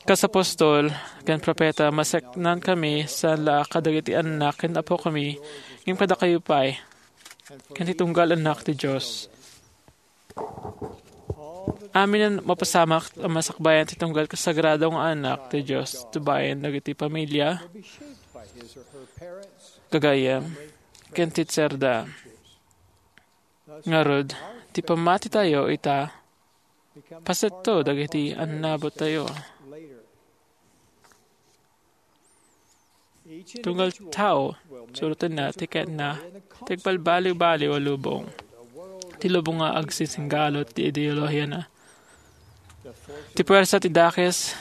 Kas apostol ken propeta, maseknankami saan la kadagiti annak ken apokami, ngem kadakayo pay, ken ti tunggal annak ti Dios. Amin a mapasamak a masakbayan ti tunggal kasagrado nga anak ti Dios, tubayen dagiti pamilya, gagayyem, ken teacherda. Ngarud, ti pammatitayo ita, pasetto dagiti annabottayo. Tunggal tao, surotenna ti kayatna ti agbalbaliwbaliw a lubong. Ti lubong nga agsisinggalot ti ideolohiana. Ti puwersa ti dakes,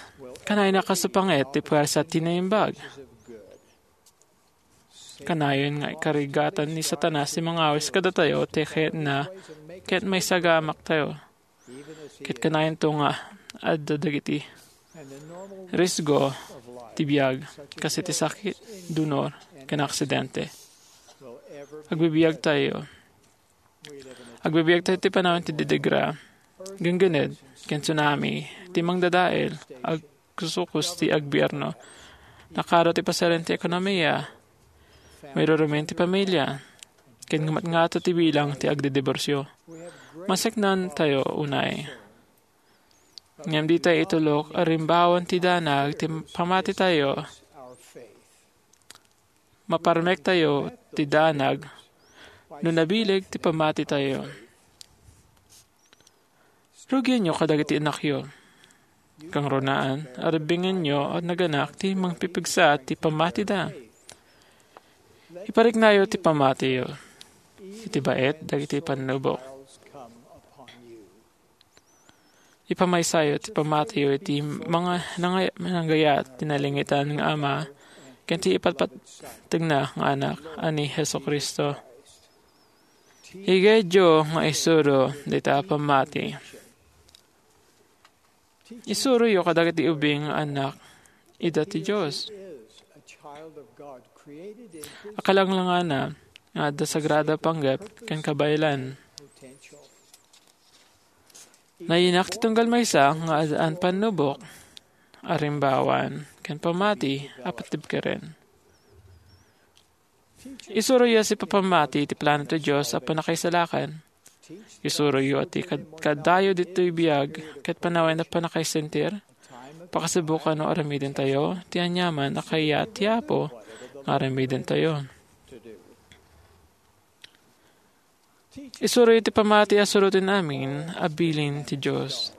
kanayna kasupangit ti puwersa ti naimbag. Kanayon nga ikarigatan ni Satanas ti mangawis kadatayo ti kayatna ket maisagamaktayo. Ket kanayonto nga adda dagiti Risgo ti biag, kas iti sakit, dunor, ken aksidente. Agbibiag tayo. Agbibiag tayo ti panawen ti didigra, genggened, ken tsunami, ti mangdadael, agkusukus ti agbierno, nakaro ti pasarin ti ekonomia, mairurumen ti pamilia, ken ngumatngato ti bilang ti agdidiborsio. Maseknan tayo unay. Ngem di tayo itulok a rimbawan ti danag ti pamati tayo. Maparmek tayo ti danag no nabileg ti pamati tayo. Rugienyo kadagiti anakyo. Kangrunaan, aribingenyo a naganak ti mangpipigsa ti pamatida. Ipariknayo ti pamatiyo iti baet dagiti pannubok. Ipamaysayo ti pamatiyo iti mga nangay-, nanggayat ti nalingitan nga Ama ken ti ipatpattegna nga Anak a ni Jesu-Cristo. Igayyo nga isuro dita a pammati. Isuroyo kadagiti ubing nga annak ida ti Dios. Akalanglangana nga adda sagrada panggep ken kabaelan. Nayanak ti tunggal maysa nga addaan pannubok, arimbawan, ken pammati a patibkeren. Isuroyo ti pammati ti plano ti Dios a pannakaisalakan. Isuroyo ti kad-, kaddayo ditoy biag ket panawen a pannakaisentir. Pakasubokan no aramidentayo ti aniaman a kayat ti Apo nga aramidentayo. Isuroyo ti pammati a suroten amin a bilin ti Dios.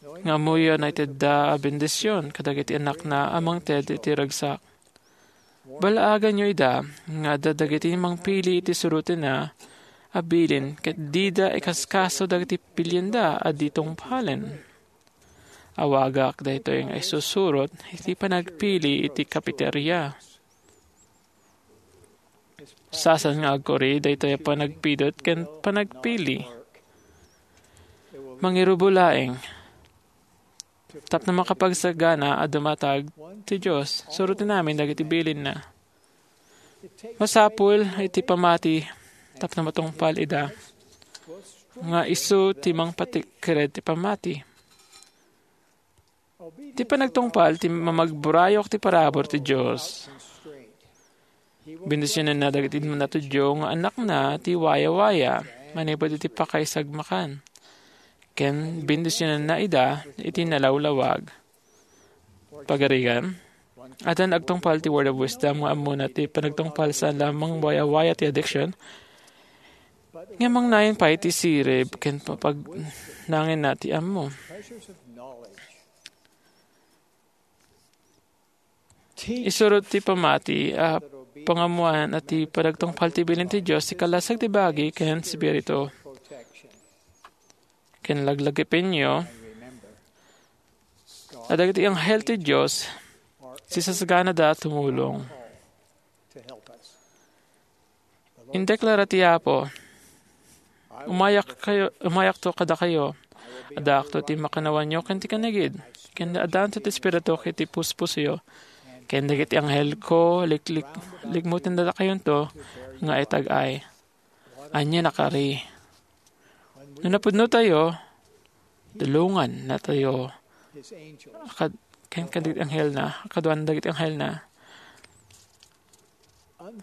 Nga ammoyo a naitedda a bendision kadagiti anakna a mangted iti ragsak. Balaaganyo ida nga adda dagiti mangpili iti surotenna a bilin ket dida ikaskaso dagiti pilienda a di tungpalen. Awagak daytoy nga isusurot iti panagpili iti kapiteria. Saan nga agkuri daytoy a panagpidut ken panagpili. Mangirubo laeng. Tapno makapagsagana a dumatag ti Dios, suroten amin dagiti bilinna. Masapul iti pammati tapno matungpal ida nga isu ti mangpatikkered ti pammati. Ti panagtungpal ti mamagburayok ti parabur ti Dios. Bendisionenna dagiti natudyo nga anakna ti wayawaya manipud iti pakaisagmakan. Ken bendisionenna ida iti nalawlawag. Pagarigan, addan agtungpal ti Word of Wisdom nga ammona ti panagtungpal saan lamang wayawaya ti addiction, ngem mangnayon pay ti sirib ken papagnangenna ti ammo. Isurot ti pammati a pangammoan a ti panagtungpal ti bilin ti Dios ti kalasag ti bagi ken spiritu. Ken laglagipenyo a dagiti anghel ti Dios sisasaganada a tumulong. Indeklara ti Apo, "Umayak kayo, umayakto kadakayo. Addaakto ti makannawanyo ken ti kinagid, ken addaanto ti Espiritu iti puspusoyo, ken dagiti anghelko liklik-, likmuten dakayonto nga itag-ay." Ania nakari? No napudno tayo, tulongan natayo kad-, ken kadagiti anghelna, kaduan dagiti anghelna.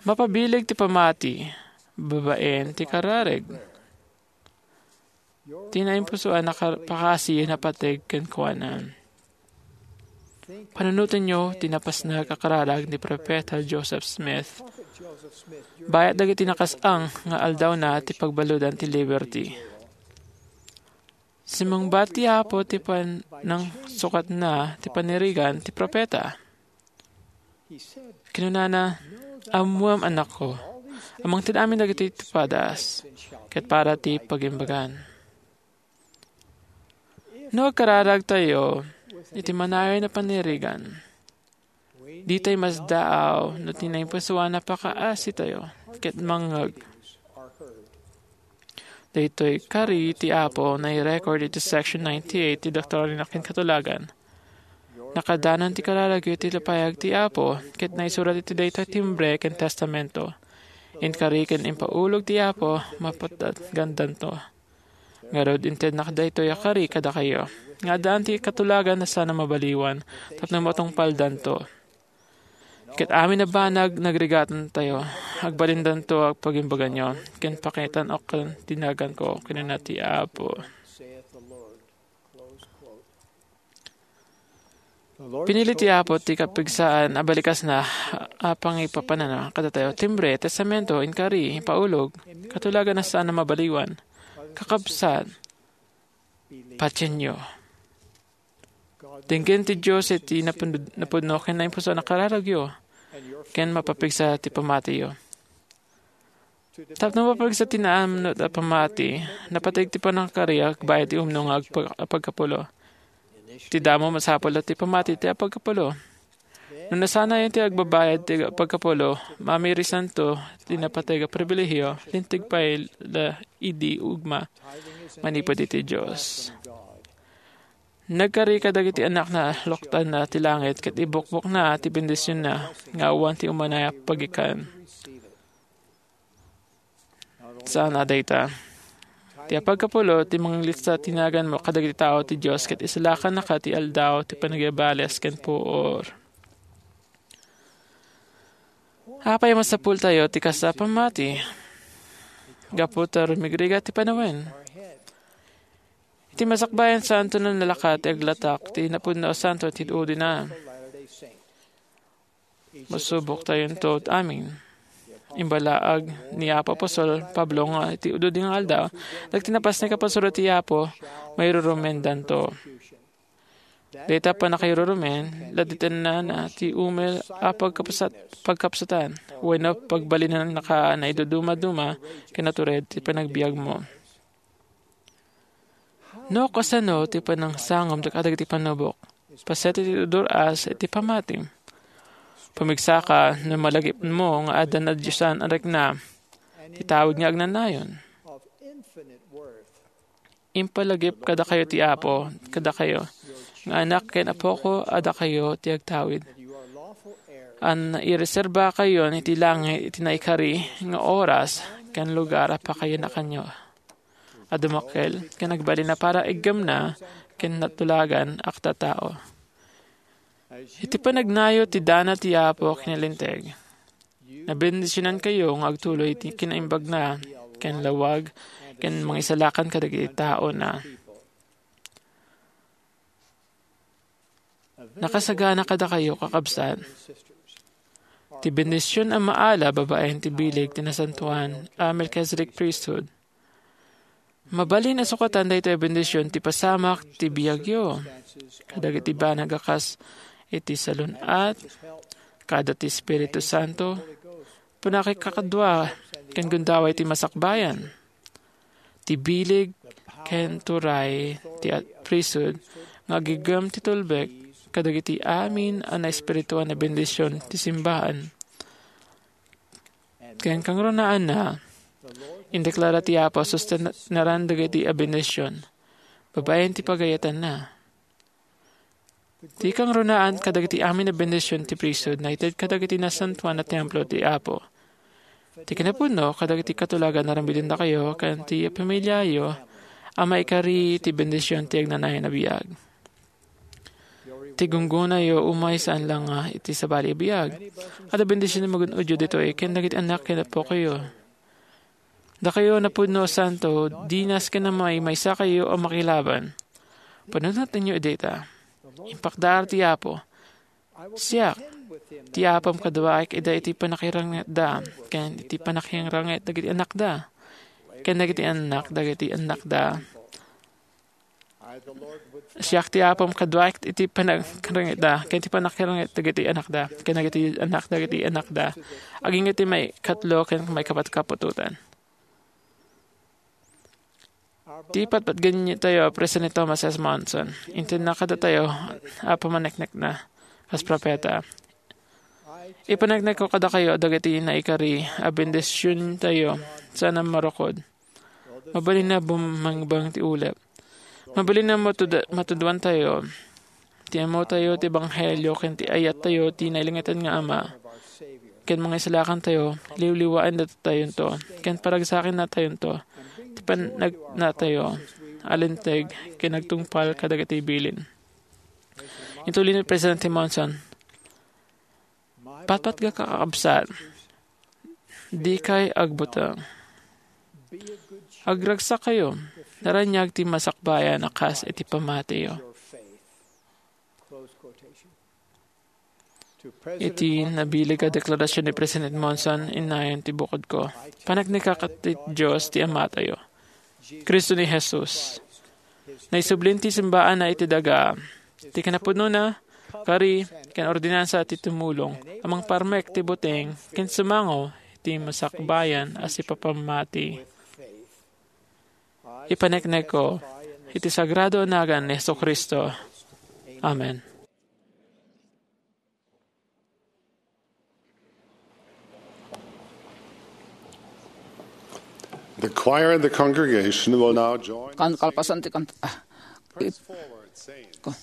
Mapabileg ti pamati babaen ti kararag. Ti naimpusoan a kar-, pakasi napateg kenkuana. Panunotenyo ti napasnag a kararag ni Profeta Joseph Smith. Bayat dagiti nakas-ang nga aldawna ti pagbaludan ti Liberty. Simmungbat ti Apo ti panangsukatna ti panirigan ti profeta. Kinunana, "Ammoam, anakko, a mangted amin dagiti tupadas, ket para ti pagimbagan." No agkararagtayo iti manayon a panirigan, ditay masdaaw no ti naimpusoan a pakaasitayo ket mangngeg. Daytoy kari ti Apo nairecord iti Section ninety-eight ti Doktrina ken Katulagan. Nakadanon ti kararagyo iti payag ti Apo, ket naisurat iti daytoy timbre ken testamento. Inkari ken impaulog ti Apo, mapatgandanto. Ngarud, intednak daytoy a kari kadakayo, nga addaan ti katulagan a saan a mabaliwan, tapno matungpaldanto. Ket amin a banag, nagrigatantayo, agbalindanto a pagimbaganyo, ken pakitan-ok ti naganko, kinuna ti Apo. Pinili ti Apo ti kapigsaan a balikasna a pangipapanana kadatayo. Timbre, testamento, inkari, impaulog, katulagan a saan a mabaliwan. Kakabsat, patienyo. Denggen ti Dios iti napun-, napudno ken naimpuso a kararagyo, ken mapapigsa ti pamatiyo. Tapno mapigsa ti naamnot a pamati, napateg ti panangkari agbayad ti umno nga agpag-, pagkapulo. Ti damo, masapul a ti pamati ti apagkapulo. No nasanayan ti agbabayad ti pagkapulo, mamirisanto ti napateg a pribilehio, linteg pay la idi ugma, manipud iti Dios. Nagkari kadagiti annakna, luktanna ti langit, ket ibukbokna ti bendisionna nga awan ti umuna a pagikan. Saan a dayta. Ti apagkapulo, ti manglista ti naganmo kadagiti tao ti Dios, ket isalakannaka ti aldaw ti panagibales ken puor. Apay a masapultayo ti kasta a pammati? Gapu ta rumigrigat ti panawen. Iti masakbayan, saanto a nalakat ti aglatak ti napudno a santo ti udina. Masuboktayonto amin. Imbalaag ni Apo Apostol Pablo nga iti ududi nga aldaw, dagiti napasnek a pasurat ti Apo, mairurumendanto. Dayta pannakairurumen, laditennana ti umel a pagkapsat-, pagkapsatan, wenno pagbalinannaka a naiduduma-duma ken natured ti panagbiagmo. No kasano ti panangsangom kadagiti panubok? Paset iti dur-as iti pammatim. Pumigsaka no malagipmo nga adda nadiosan a rikna ti tawid nga agnanayon. Impalagip kadakayo ti Apo, kadakayo, nga anak ken apoko a dakayo ti agtawid. An ireserbakayon iti langit iti naikari nga oras ken lugar a pakayanakanyo a dumakkel ken agbalin a para iggemna ken natulagan a tattao. Iti panagnayo ti dana ti Apo ken Linteg, nabendisionankayo nga agtuloy ti kinaimbagna ken lawag ken mangisalakan kadagiti taona. Nakasagana kadakayo, kakabsat, ti bendision a maala babaen ti bileg ti nasantoan a Melchizedek Priesthood. Mabalin a sukatan daytoy a bendision ti pasamak ti biagyo kadagiti banag a kas iti salun-at, kada ti Espiritu Santo, pannakikadua ken gundaway ti masakbayan, ti bileg ken turay ti a-, priesthood nga agiggem ti tulbek kadagiti amin a naespirituan a bendision ti simbaan. Ken kangrunaanna, indeklara ti Apo a sustenaran dagiti a bendision babaen ti pagayatanna. Ti kangrunaan kadagiti amin a bendision ti priesthood naited kadagiti nasantoan a templo ti Apo. Ti kinapudno kadagiti katulagan a ramidendakayo ken ti pamiliayo a maikari ti bendision ti agnanayon a biag. Ti gunggonayo umay saan la nga iti sabali a biag. Adda bendision a magun-odyo ditoy ken dagiti annak ken appokayo. Dakayo napudno a santo, dinas ken a maymaysakayo a makilaban. Panunotenyo dayta. Impakdaar ti Apo. Siak, ti Apom kaduaek ida iti pannakirangitda, ken iti pannakirangit dagiti annakda, ken dagiti annak dagiti annakda. Siak ti Apom kaduaek iti pannakirangitda, ken iti pannakirangit dagiti annakda, ken dagiti annak dagiti annakda, agingga iti maikatlo ken maikapat kaputotan. Ti patpatgen tayo a President Thomas S. Monson, intedna kadatayo a pamaneknekna kas propeta. Ipaneknekko kadakayo dagiti naikari a bendision tayo, saan a marukod. Mabalin a bumangbang ti ulep. Mabalin a matud-, matuduan tayo. Ti ammotayo ti ebanghelio ken ti ayattayo ti nailangitan nga Ama, ken mangisalakantayo, liwliwaen datayonto, ken paragsakennatayonto, ti panagnatayo a linteg ken agtungpal kadagiti bilin. Inton ni Presidente Monson, "Patpatgak a kakabsat, dikay agbuteng. Agragsakkayo, naraniag ti masakbayan a kas iti pammatiyo." Iti nabileg a deklarasyon ni President Monson, innayon ti bukodko. Paneknek a ket ti Dios ti Amatayo, Cristo ni Jesus. Naisublin ti simbaanna iti daga. Ti kinapudnona, kari, ken ordinansa ti tumulong a mangparmek ti buteng ken sumango iti masakbayan a sipapammati. Ipaneknekko iti sagrado a nagan ni Jesu-Cristo. Amen. The choir and the congregation will now join Kan kalpasan ti kanta. Ah, it- Forward, Saints. Ko-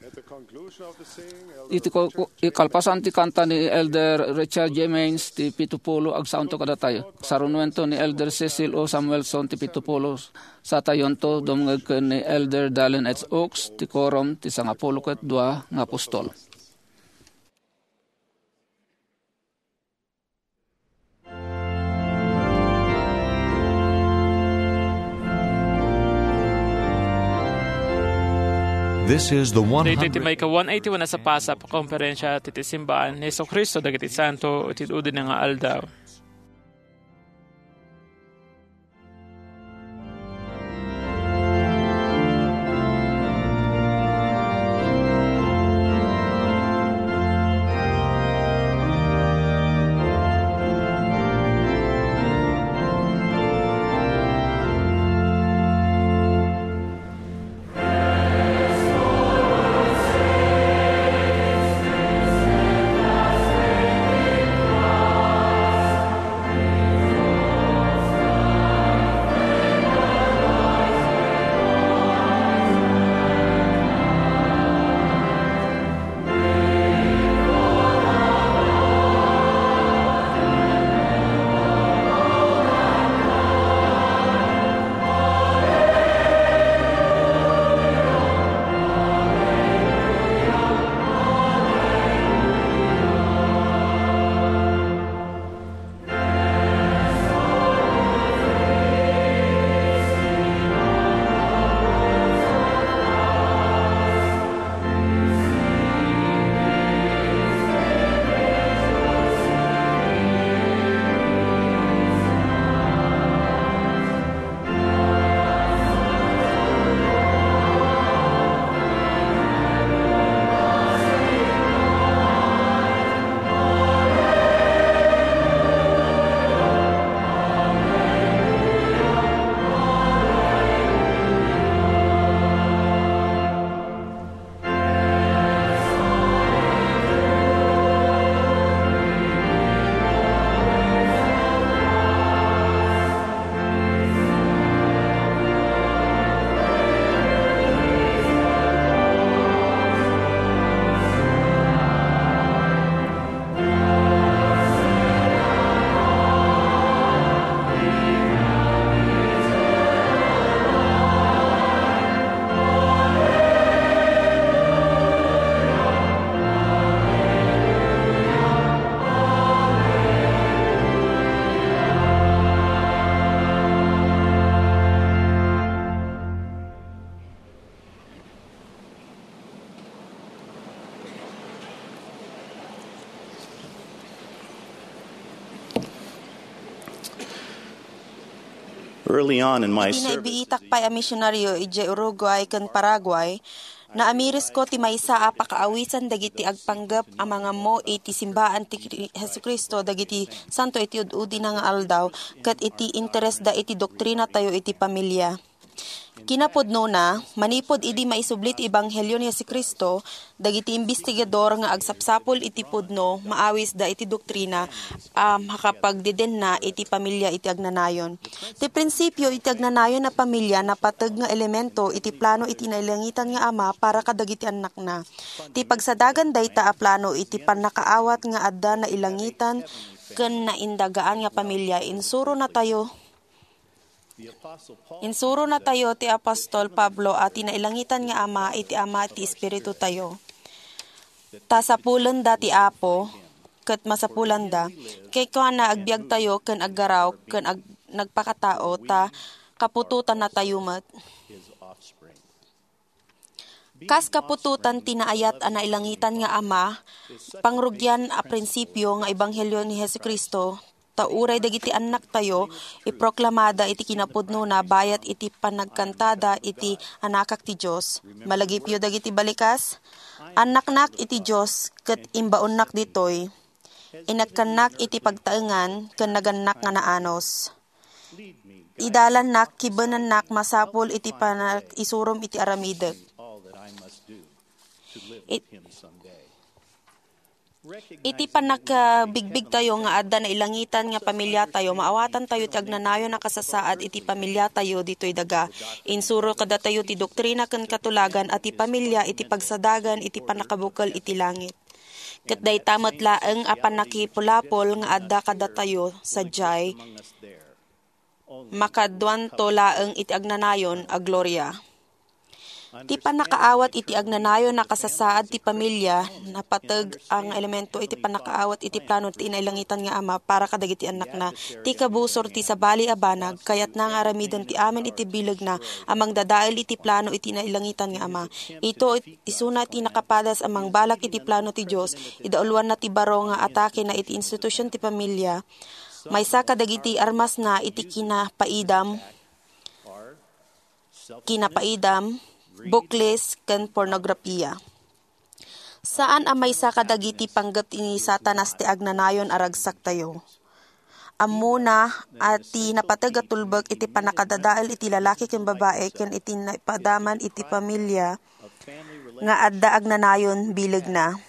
At the conclusion of the singing, Elder Iti ko, ko, ikalpasan ti kanta ni Elder Richard J. Maines ti pitupulo, agsaonto kadatayo. Sarunuento ni Elder Cecil O. Samuelson ti pitupulo, satayonto dumngeg ken ni Elder Dallin H. Oaks ti Quorum ti Sangapulo ket Dua nga Apostol. This is the Daytoy ti one hundred maika one eighty-one a sapasap a komperensia ti, ti simbaan ni Jesu-Cristo dagiti Santo iti udi-udina nga aldaw. Early on in my Idi service nabiitak pay a misionaryo idiay Uruguay ken Paraguay, naamirisko ti maysa a pakaawisan dagiti agpanggep a mangammo iti simbaan ti Kri-, Jesu-Cristo dagiti santo iti ud-udina nga aldaw ket iti interesda iti doktrinatayo iti pamilia. Kinapudnona, manipud idi maisubli ti ebanghelio ni Jesu-Cristo, dagiti imbestigador nga agsapsapul iti pudno maawisda iti doktrina a makapagdedenna iti pamilia iti agnanayon. Ti prinsipio iti agnanayon a pamilia napateg nga elemento iti plano iti nailangitan nga Ama para kadagiti annakna. Ti pagsadagan dayta a plano iti pannakaawat nga adda nailangitan ken naindagaan nga pamilia, insuronatayo Insuronatayo ti apostol Pablo a ti nailangitan nga Ama iti Ama ti espiritutayo. Ta sapulenda ti Apo, ket masapulanda. Kay kuana, agbiagtayo ken aggaraw ken ag-, nagpakatao, ta kaputotannatayo met. Kas kaputotan ti naayat a nailangitan nga Ama, pangrugian a prinsipio nga ebanghelio ni Jesu-Cristo, ta uray dagiti annaktayo, iproklamada iti kinapudnona bayat iti panagkantada iti anakak ti Dios. Malagipyo dagiti balikas? Annaknak iti Dios, ket imbaonnak ditoy. Inekkannak iti pagtaengan ken nagannak nga naanus. Idalannak, kibenennak masapul iti panag-isurom iti aramidek. It-, iti pannakabigbigtayo nga adda nailangitan nga pamiliatayo, maawatantayo ti agnanayon a kasasaad iti pamiliatayo ditoy daga. Insuro kadatayo ti doktrina ken katulagan a ti pamilia iti pagsadagan iti pannakabukel iti langit. Ket dayta met laeng a pannakipulapol nga adda kadatayo sadiay, makaduanto laeng iti agnanayon a gloria. Ti pannakaawat iti agnanayon a kasasaad ti pamilia, napateg a nga elemento iti pannakaawat iti plano ti nailangitan nga Ama para kadagiti annakna. Ti kabusor ti sabali a banag, kayatna nga aramiden ti amin iti bilegna a mangdadael iti plano iti nailangitan nga Ama. Ito it-, isuna ti nakapadas a mangbalak iti plano ti Dios, idauluanna ti baro nga atake na iti institusion ti pamilia. Maysa kadagiti armasna iti kinapaidam, kinapaidam, bukles, ken pornografia. Saan a maysa kadagiti panggep ni Satanas ti agnanayon a ragsaktayo. Ammona a ti napateg a tulbek iti pannakadadael iti lalaki ken babae ken iti naipadaman iti pamilia nga adda agnanayon bilegna.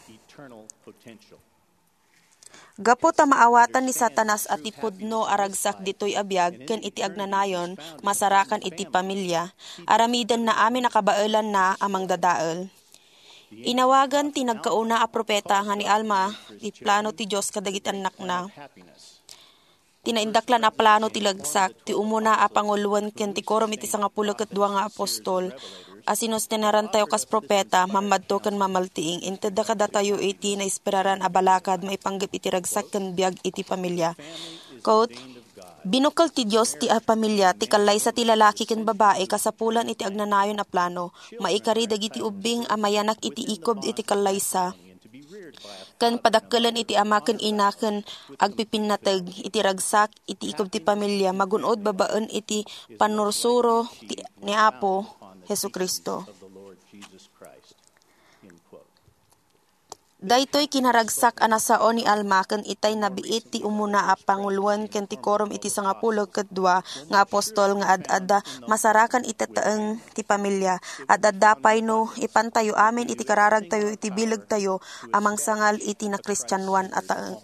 Gapu ta maawatan ni Satanas a ti pudno a ragsak ditoy a biag ken iti agnanayon masarakan iti pamilia, aramidenna amin a kabaelanna a mangdadael. Inawagan ti nagkauna a propeta nga ni Alma ti plano ti Dios kadagiti annakna. Ti naindaklan a plano ti ragsak, ti umuna a panguloen ken ti korom iti sangapulo ket dua nga apostol a sinustenarantayo kas propeta, mammadto ken mamaltiing, intedda kadatayo iti naesperaran a balakad maipanggep iti ragsak ken biag iti pamilia. Quote, "Binukkel ti Dios ti a pamilia, ti kallaysa ti lalaki ken babai kasapulan iti agnanayon a plano. Maikari dagiti ubbing a mayanak iti ikob iti kallaysa." Ken padakkelen iti ama ken ina ken agpipinnateg iti ragsak iti ikob ti pamilia, magun-od babaen iti pannursuro ti, ni Apo Jesu-Cristo. Daytoy kinaragsak a nasao ni Alma ken itay nabiit ti umuna a panguloen ken ti korom iti sangapulo ket dua nga apostol nga ad-adda masarakan iti taeng ti pamilia. Ad-adda pay no ipantayo amin iti kararagtayo iti bilegtayo a mangsangal iti nakristianoan a taeng.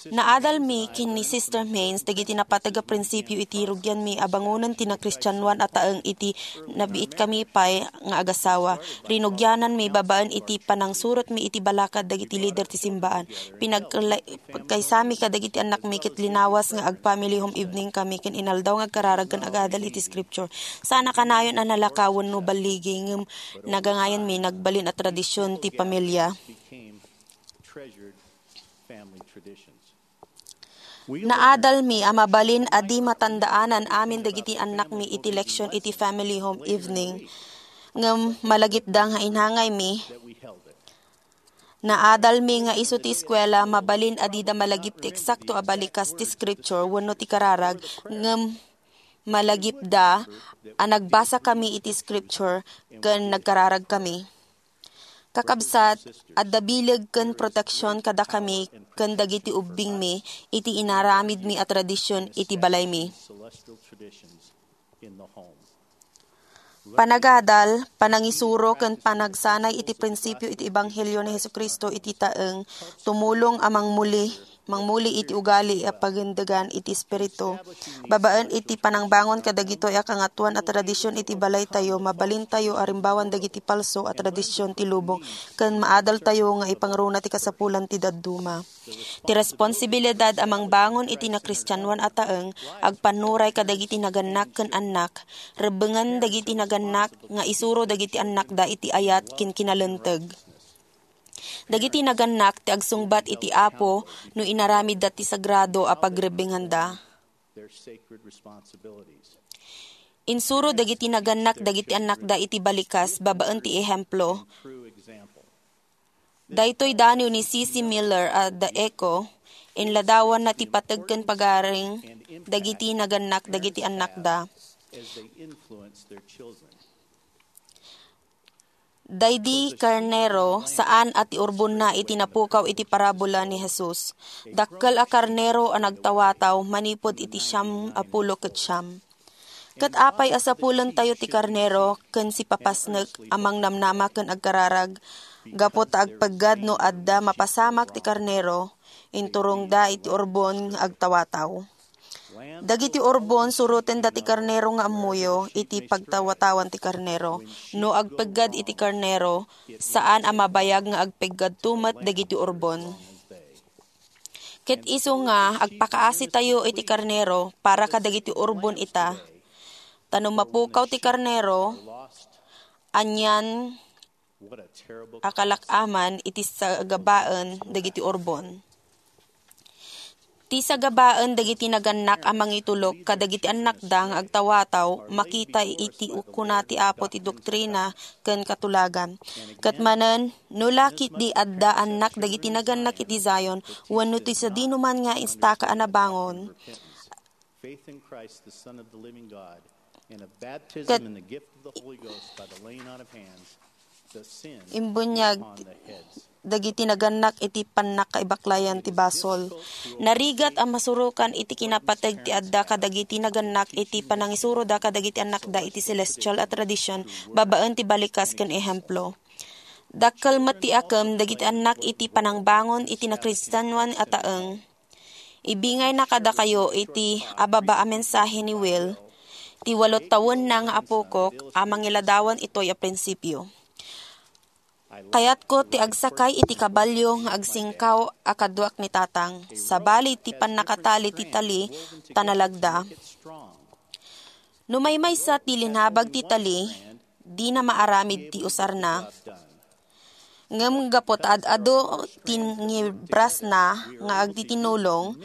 Naadalmi ken ni Sister Maynes dagiti napateg a prinsipio iti rugianmi a bangonen ti nakristianoan a taeng iti nabiitkami pay nga agasawa. Rinugiananmi babaen iti panangsurotmi iti balakad dagiti lider ti simbaan. Pinagkala-, pagkaysami kadagiti annakmi ket linawas nga ag-family home evening kami ken inaldaw nga agkararag ken agadal iti scripture. Saan a kanayon a nalaka wenno balligi ngem nagangayanmi nagbalin a tradision ti pamilia. Naadalmi a mabalin a di matandaanan amin dagiti annakmi iti leksion iti family home evening. Ngem malagipda nga inangaymi. Naadalmi nga isu ti eskuela, mabalin a dida malagip ti eksakto a balikas ti scripture wenno ti kararag, ngem malagipda a nagbasakami iti scripture ken nagkararagkami. Kakabsat, adda bileg ken proteksion kadakami ken dagiti ubbingmi iti inaramidmi a tradision iti balaymi. Panagadal, panangisuro, ken panagsanay iti prinsipio iti Ebanghelio ni Jesu-Cristo iti taeng, tumulong a mangmuli, mangmuli iti ugali a pagendegan iti Espiritu. Babaen iti panangbangon kadagitoy a kangatoan a tradision iti balaytayo, mabalintayo a rimbawan dagiti palso a tradision ti lubong, ken maadaltayo nga ipangruna ti kasapulan ti dadduma. Ti responsibilidad a mangbangon iti nakristianoan a taeng agpannuray kadagiti nagannak ken annak, rebbengen dagiti nagannak nga isuro dagiti annakda iti ayat ken kinalinteg. Dagiti nagannak ti agsungbat iti Apo no inaramidda ti sagrado a pagrebbenganda. Insuro dagiti nagannak dagiti annakda iti balikas babaen ti ehemplo. Daytoy daniw ni C C Miller a The Echo, inladawanna ti pateg ken pagaring dagiti nagannak dagiti annakda. Daydi karnero, saan a ti urbonna iti napukaw iti parabola ni Jesus. Dakkel a karnero a nagtawataw manipud iti siam a pulo ket siam. Ket apay a sapulentayo ti karnero ken sipapasnek a mangnamnama ken agkararag? Gapu ta agpeggad no adda mapasamak ti karnero, inturongda iti urbon nga agtawataw. Dagiti urbon, surotenda ti karnero nga ammoyo iti pagtawatawan ti karnero. No agpeggad iti karnero, saan a mabayag nga agpeggadto met dagiti urbon. Ket isu nga agpakaasitayo iti karnero para kadagiti urbon ita. Ta no mapukaw ti karnero, anian a kalak-aman iti sagabaen dagiti urbon. Ti sagabaen dagiti nagannak a mangitulok kadagiti annakda nga agtawataw, makita iti ukuna ti Apo ti doktrina ken katulagan. Ket manen, no la ketdi adda annak dagiti nagannak iti Zion, wenno ti sadinoman nga istaka a nabangon, Faith in Christ, the Son of the living God, and a baptism Ket- in the gift of the Holy Ghost by the laying on of hands, the sin Imbunyag upon the heads. Dagiti nagannak iti pannakaibaklayan ti basol. Narigat a masurokan iti kinapateg ti adda kadagiti nagannak iti panangisuroda kadagiti annakda iti selestial a tradision babaen ti balikas ken ehemplo. Dakkel met ti akem dagiti annak iti panangbangon iti nakristianoan a taeng. Ibingayna kadakayo iti ababa a mensahe ni Will, ti walo tawenna nga apokok a mangiladawan itoy a prinsipio. Kayatko ti agsakay iti kabalio nga agsingkaw a kaduak ni Tatang, sabali ti pannakatali ti tali ta nalagda. No maymaysa ti linabag ti tali, dina maaramid ti usarna. Ngem gapu ta ad-adu ti ngibrasna nga agtitinulong,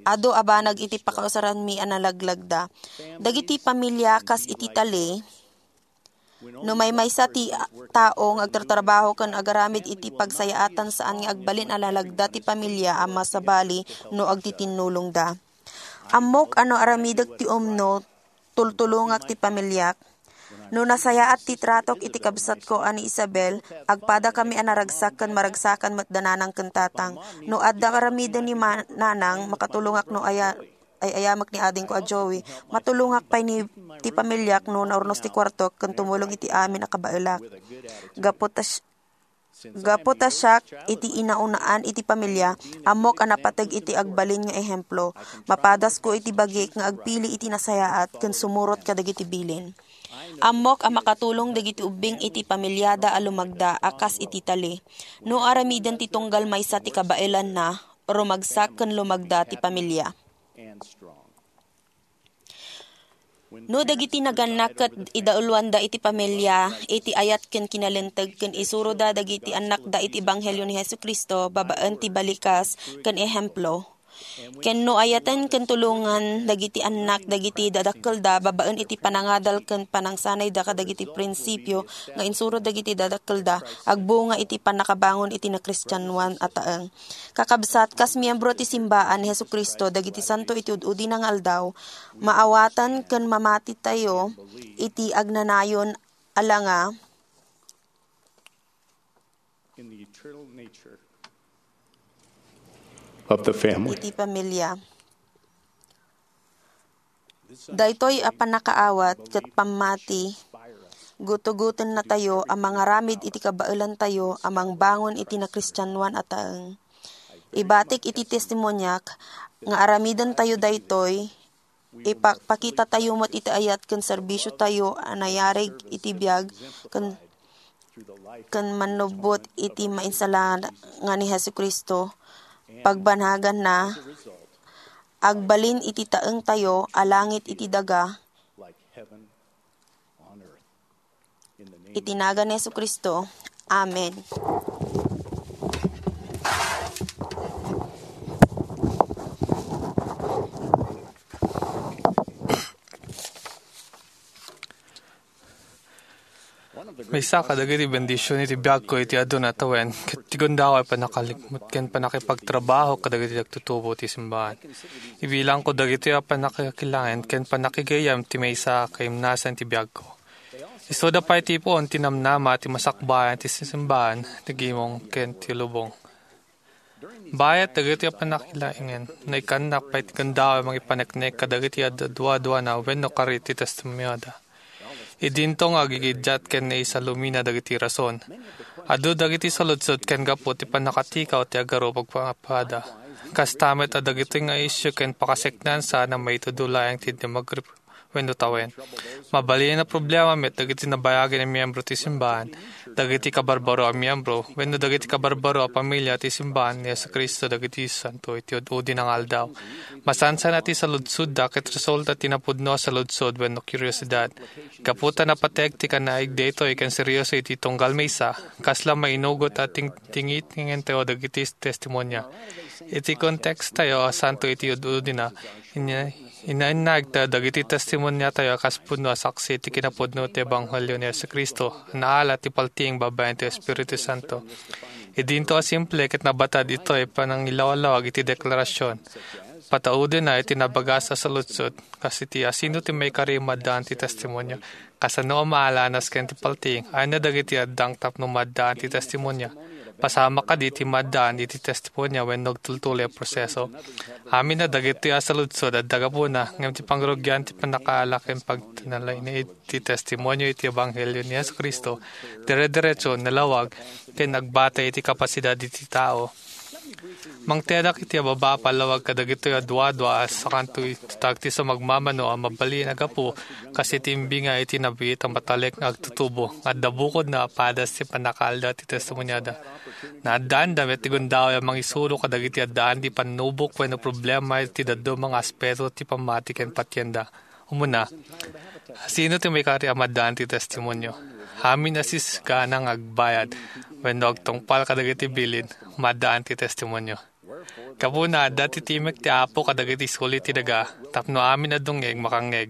adu a banag iti pakausaranmi a nalaglagda. Dagiti pamilia kas iti tali, no maymaysa ti tao nga agtartrabaho ken agaramid iti pagsayaatan, saan nga agbalin a nalagda ti pamilia a masabali no agtitinulongda. Ammok a no aramidek ti umno, tultulongak ti pamiliak. No nasayaat ti tratok iti kabsatko a ni Isabel, agpadakami a naragsak ken maragsakan met da nanang ken tatang. No adda aramiden ni ma-, nanang, makatulongak no aya-, ay-ayamek ni adingko a Joey. Matulongak pay ni ti pamiliak no naurnos ti kuartok ken tumulong iti amin a kabaelak. Gapu ta si-, Gapu ta siak iti inaunaan iti pamilia, ammok a napateg iti agbalin nga ehemplo. Mapadasko iti bagik nga agpili iti nasayaat ken sumurot kadagiti bilin. Ammok a makatulong dagiti ubbing iti pamiliada a lumagda a kas iti tali. No aramiden ti tunggal maysa ti kabaelanna, rumagsak ken lumagda ti pamilia. No dagiti nagannak ket idauluanda iti pamilia, iti ayat ken kinalinteg ken isuroda dagiti annakda iti ebanghelio ni Jesu-Cristo babaen ti balikas ken ehemplo, ken no ayaten ken tulongan dagiti annak dagiti dadakkelda babaen iti panangadal ken panangsanayda kadagiti prinsipio nga insuro dagiti dadakkelda, agbunga iti pannakabangon iti nakristianoan a taeng. Kakabsat, kas miyembro ti simbaan ni Jesu-Cristo dagiti santo iti ud-udina nga aldaw, maawatan ken mamatitayo iti agnanayon a langa in the eternal nature of the family. Iti pamilia. Daytoy a pannakaawat ket pammati, gutugotennatayo a mangaramid iti kabaelantayo a mangbangon iti nakristianoan a taeng. Ibatik iti testimoniak nga aramidentayo daytoy, ipakpakitatayo met iti ayat ken serbisiotayo a nayarig iti biag ken, ken mannubbot iti mainsalangan ni Jesu-Cristo, pagbanaganna, agbalin iti taengtayo a langit iti daga. Iti nagan ni Jesu-Cristo. Amen. Maysa kadagiti bendision iti biagko iti aduna tawen, ket ti gundaway pannakalikmut ken pannakipagtrabaho kadagiti nagtutubo ti simbahan. Ibilangko dagitoy a pannakakilangen ken pannakigayyem ti maysa a kaimnasan ti biagko. Isuda pay ti puon ti namnama ti masakbayan ti simbahan, ti gimong ken ti lubong. Bayat dagiti a pannakilaingan, naikannak pay ti gundaway mangipaneknek kadagiti ad-, aduaduana wenno kari ti testimonioda. Idinto nga agigiddiat ken naisalumina dagiti rason. Adu dagiti saludsod ken gapu ti pannakatikaw ti agarup agpaapada. Kasta met a dagitoy nga isyu ken pakaseknan saan a maitudo laeng ti dumagri wenno tawen. Mabalin a problema met dagiti nabayag a miyembro ti simbahan, dagiti kabarbaro a miyembro, wenno dagiti kabarbaro a pamilia ti simbahan ni Jesu-Cristo dagiti santo iti ud-udi nga aldaw. Masansan a ti saludsodda ket resulta ti napudno a saludsod wenno kuriosidad. Gapu ta napateg ti kanaig daytoy ken serioso iti tunggal maysa, kasla mainugot a ting-, tingitngintayo dagiti testimonia. Iti kontekstayo a santo iti ud-udina, inya-, inainagta dagiti testimoniatayo a kas pudno a saksi ti kinapudno ti ebanghelio ni Jesu-Cristo, a naala ti paltiing babaen ti Espiritu Santo. Idinto a simple ket nabatad itoy panangilawlawag iti deklarasion. Pataudena iti nabagas a saludsod, kas iti asino ti maikari a maaddaan ti testimonio. Kasano a maalanas ken ti paltiing? Ania dagiti addang tapno maaddaan ti testimonio? Pasamak kadi ti maaddaan iti testimonio wenno agtultuloy a proseso? Amin a dagitoy a saludsod adda gapuna, ngem ti pangrugian ti pannakaala ken pagtanalainid ti testimonio iti ebanghelio ni Jesu-Cristo, dire-diretso, nalawag, ken agbatay iti kapasidad iti tao. Mangtedak iti ababa a pallawag kadagitoy a duadua a sakanto iti tagtis a magmamano a mabalin a gapu kas iti imbinga iti nabiit a matalek nga agtutubo nga adda bukodna a padas ti pannakaalda ti testimoniada. Naaddaanda met ti gundaway a mangisuro kadagiti addaan ti pannubok wenno problema iti dadduma nga aspeto ti pammati ken patienda. Umuna, sino ti maikari a maaddaan ti testimonio? Amin a sisgana nga agbayad wenno agtungpal kadagiti bilin, maaddaan ti testimonio. Gapuna, adda ti timek ti Apo kadagiti suli ti daga, tapno amin a dungngeg, makangngeg.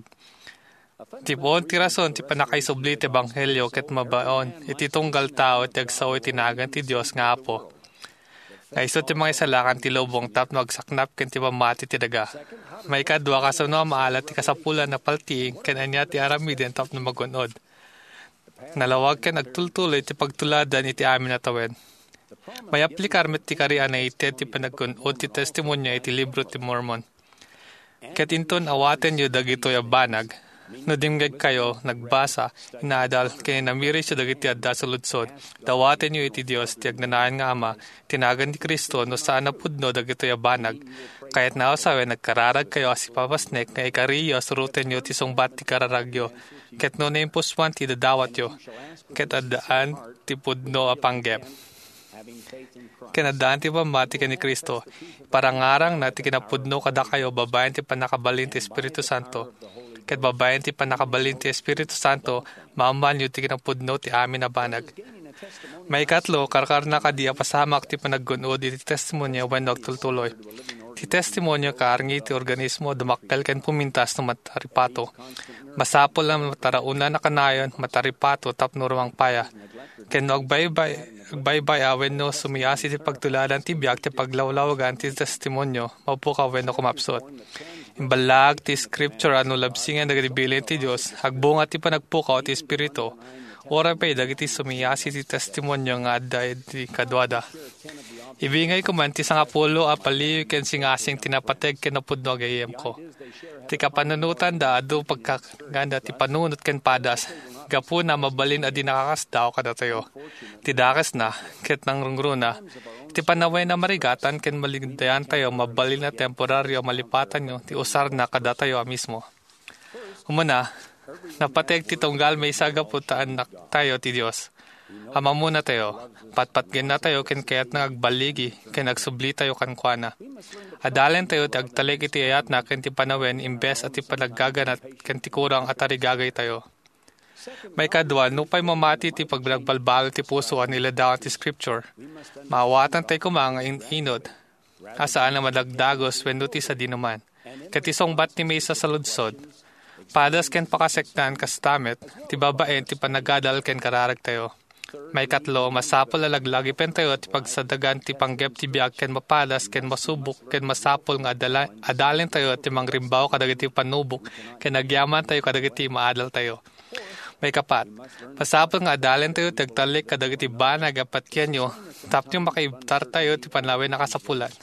Ti puon ti rason ti pannakaisubli ti ebanghelio ket mabaon iti tunggal tao ti agsao iti nagan ti Dios nga Apo. Nga isu ti mangisalakan ti lubong tapno agsaknap ken ti pammati ti daga. Maikadua, kasano a maala ti kasapulan a paltiing ken ania ti aramiden tapno magun-od? Nalawag ken agtultuloy ti pagtuladan iti amin a tawen. Mayaplikar met ti kari a naited ti panaggun-od ti testimonio iti Libro ti Mormon. Ket inton awatenyo dagitoy a banag, no dimngegkayo, nagbasa, inaadal, ken inamirisyo dagiti adda saludsod, dawatenyo iti Dios ti agnanayon nga Ama, ti nagan ni Cristo, no saan a pudno dagitoy a banag. Kayatna a sawen, agkararagkayo a sipapasnek nga ikariyo a surotenyo ti sungbat ti kararagyo, ket no naimpusuan ti idadawatyo, ket addaan ti pudno a panggep. Ken addaan ti pammati ken ni Cristo, iparangarangna ti kinapudno kadakayo babaen ti pannakabalin ti Espiritu Santo. Ket babaen ti pannakabalin ti Espiritu Santo, maammoanyo ti kinapudno ti amin a banag. Maikatlo, karkarna kadi a pasamak ti panaggun-od iti testimonio wenno agtultuloy. Ti testimonio kaarngi ti organismo a dumakkel ken pumintas no mataripato. Masapul a mataraonan a kanayon, mataripato tapno rumangpaya. Ken no agbaybay, agbaybay-a wenno sumiasi ti pagtuladan ti biag ti paglawlawagan ti testimonio, mapukaw wenno kumapsut. Imballaag ti Scripture a no labsingen dagiti bilin ti Dios, agbunga ti panagpukaw ti Espiritu. Uray pay dagiti sumiasi ti testimonio nga adda iti kaduada. Ibingayko man ti sangapulo a paliw ken singasing ti napateg ken napudno a gayyemko. Ti kapanunotanda adu pagkakaganda ti panunot ken padas. Gapuna, mabalin a di nakakasdaaw kadatayo. Ti dakesna, ket nangrungruna, iti panawen a marigatan ken maligdayantayo, mabalin a temporario a malipatanyo ti usarna kadatayo a mismo. Umuna, napateg ti tunggal maysa gapu ta annaktayo ti Dios. Ammotayo, patpatgennatayo ken kayatna nga agballigi ken agsublitayo kenkuana. Adalentayo ti agtalek iti ayatna ken ti panawen imbes a ti panaggaganat ken ti kurang a tarigagaytayo. Maikadua, nupay mamati ti pagbalbal ti puso a niladawan ti Scripture, maawatantayo koma nga in-inut a saan a madagdagus wenno ti sadinoman. Ket isungbat ti maysa a saludsod, padas ken pakaseknan kasta met ti babaen ti panagadal ken kararagtayo. Maikatlo, masapul a laglagipentayo ti pagsadagan ti panggep ti biag ken mapadas ken masubok ken masapul nga adala-, adalentayo ti mangrimbaw kadagiti panubok ken agyamantayo kadagiti maadaltayo. Maikapat, masapul nga adalentayo ti agtalek kadagiti banag a patienyo tapno makaibtartayo ti panawen a kasapulan.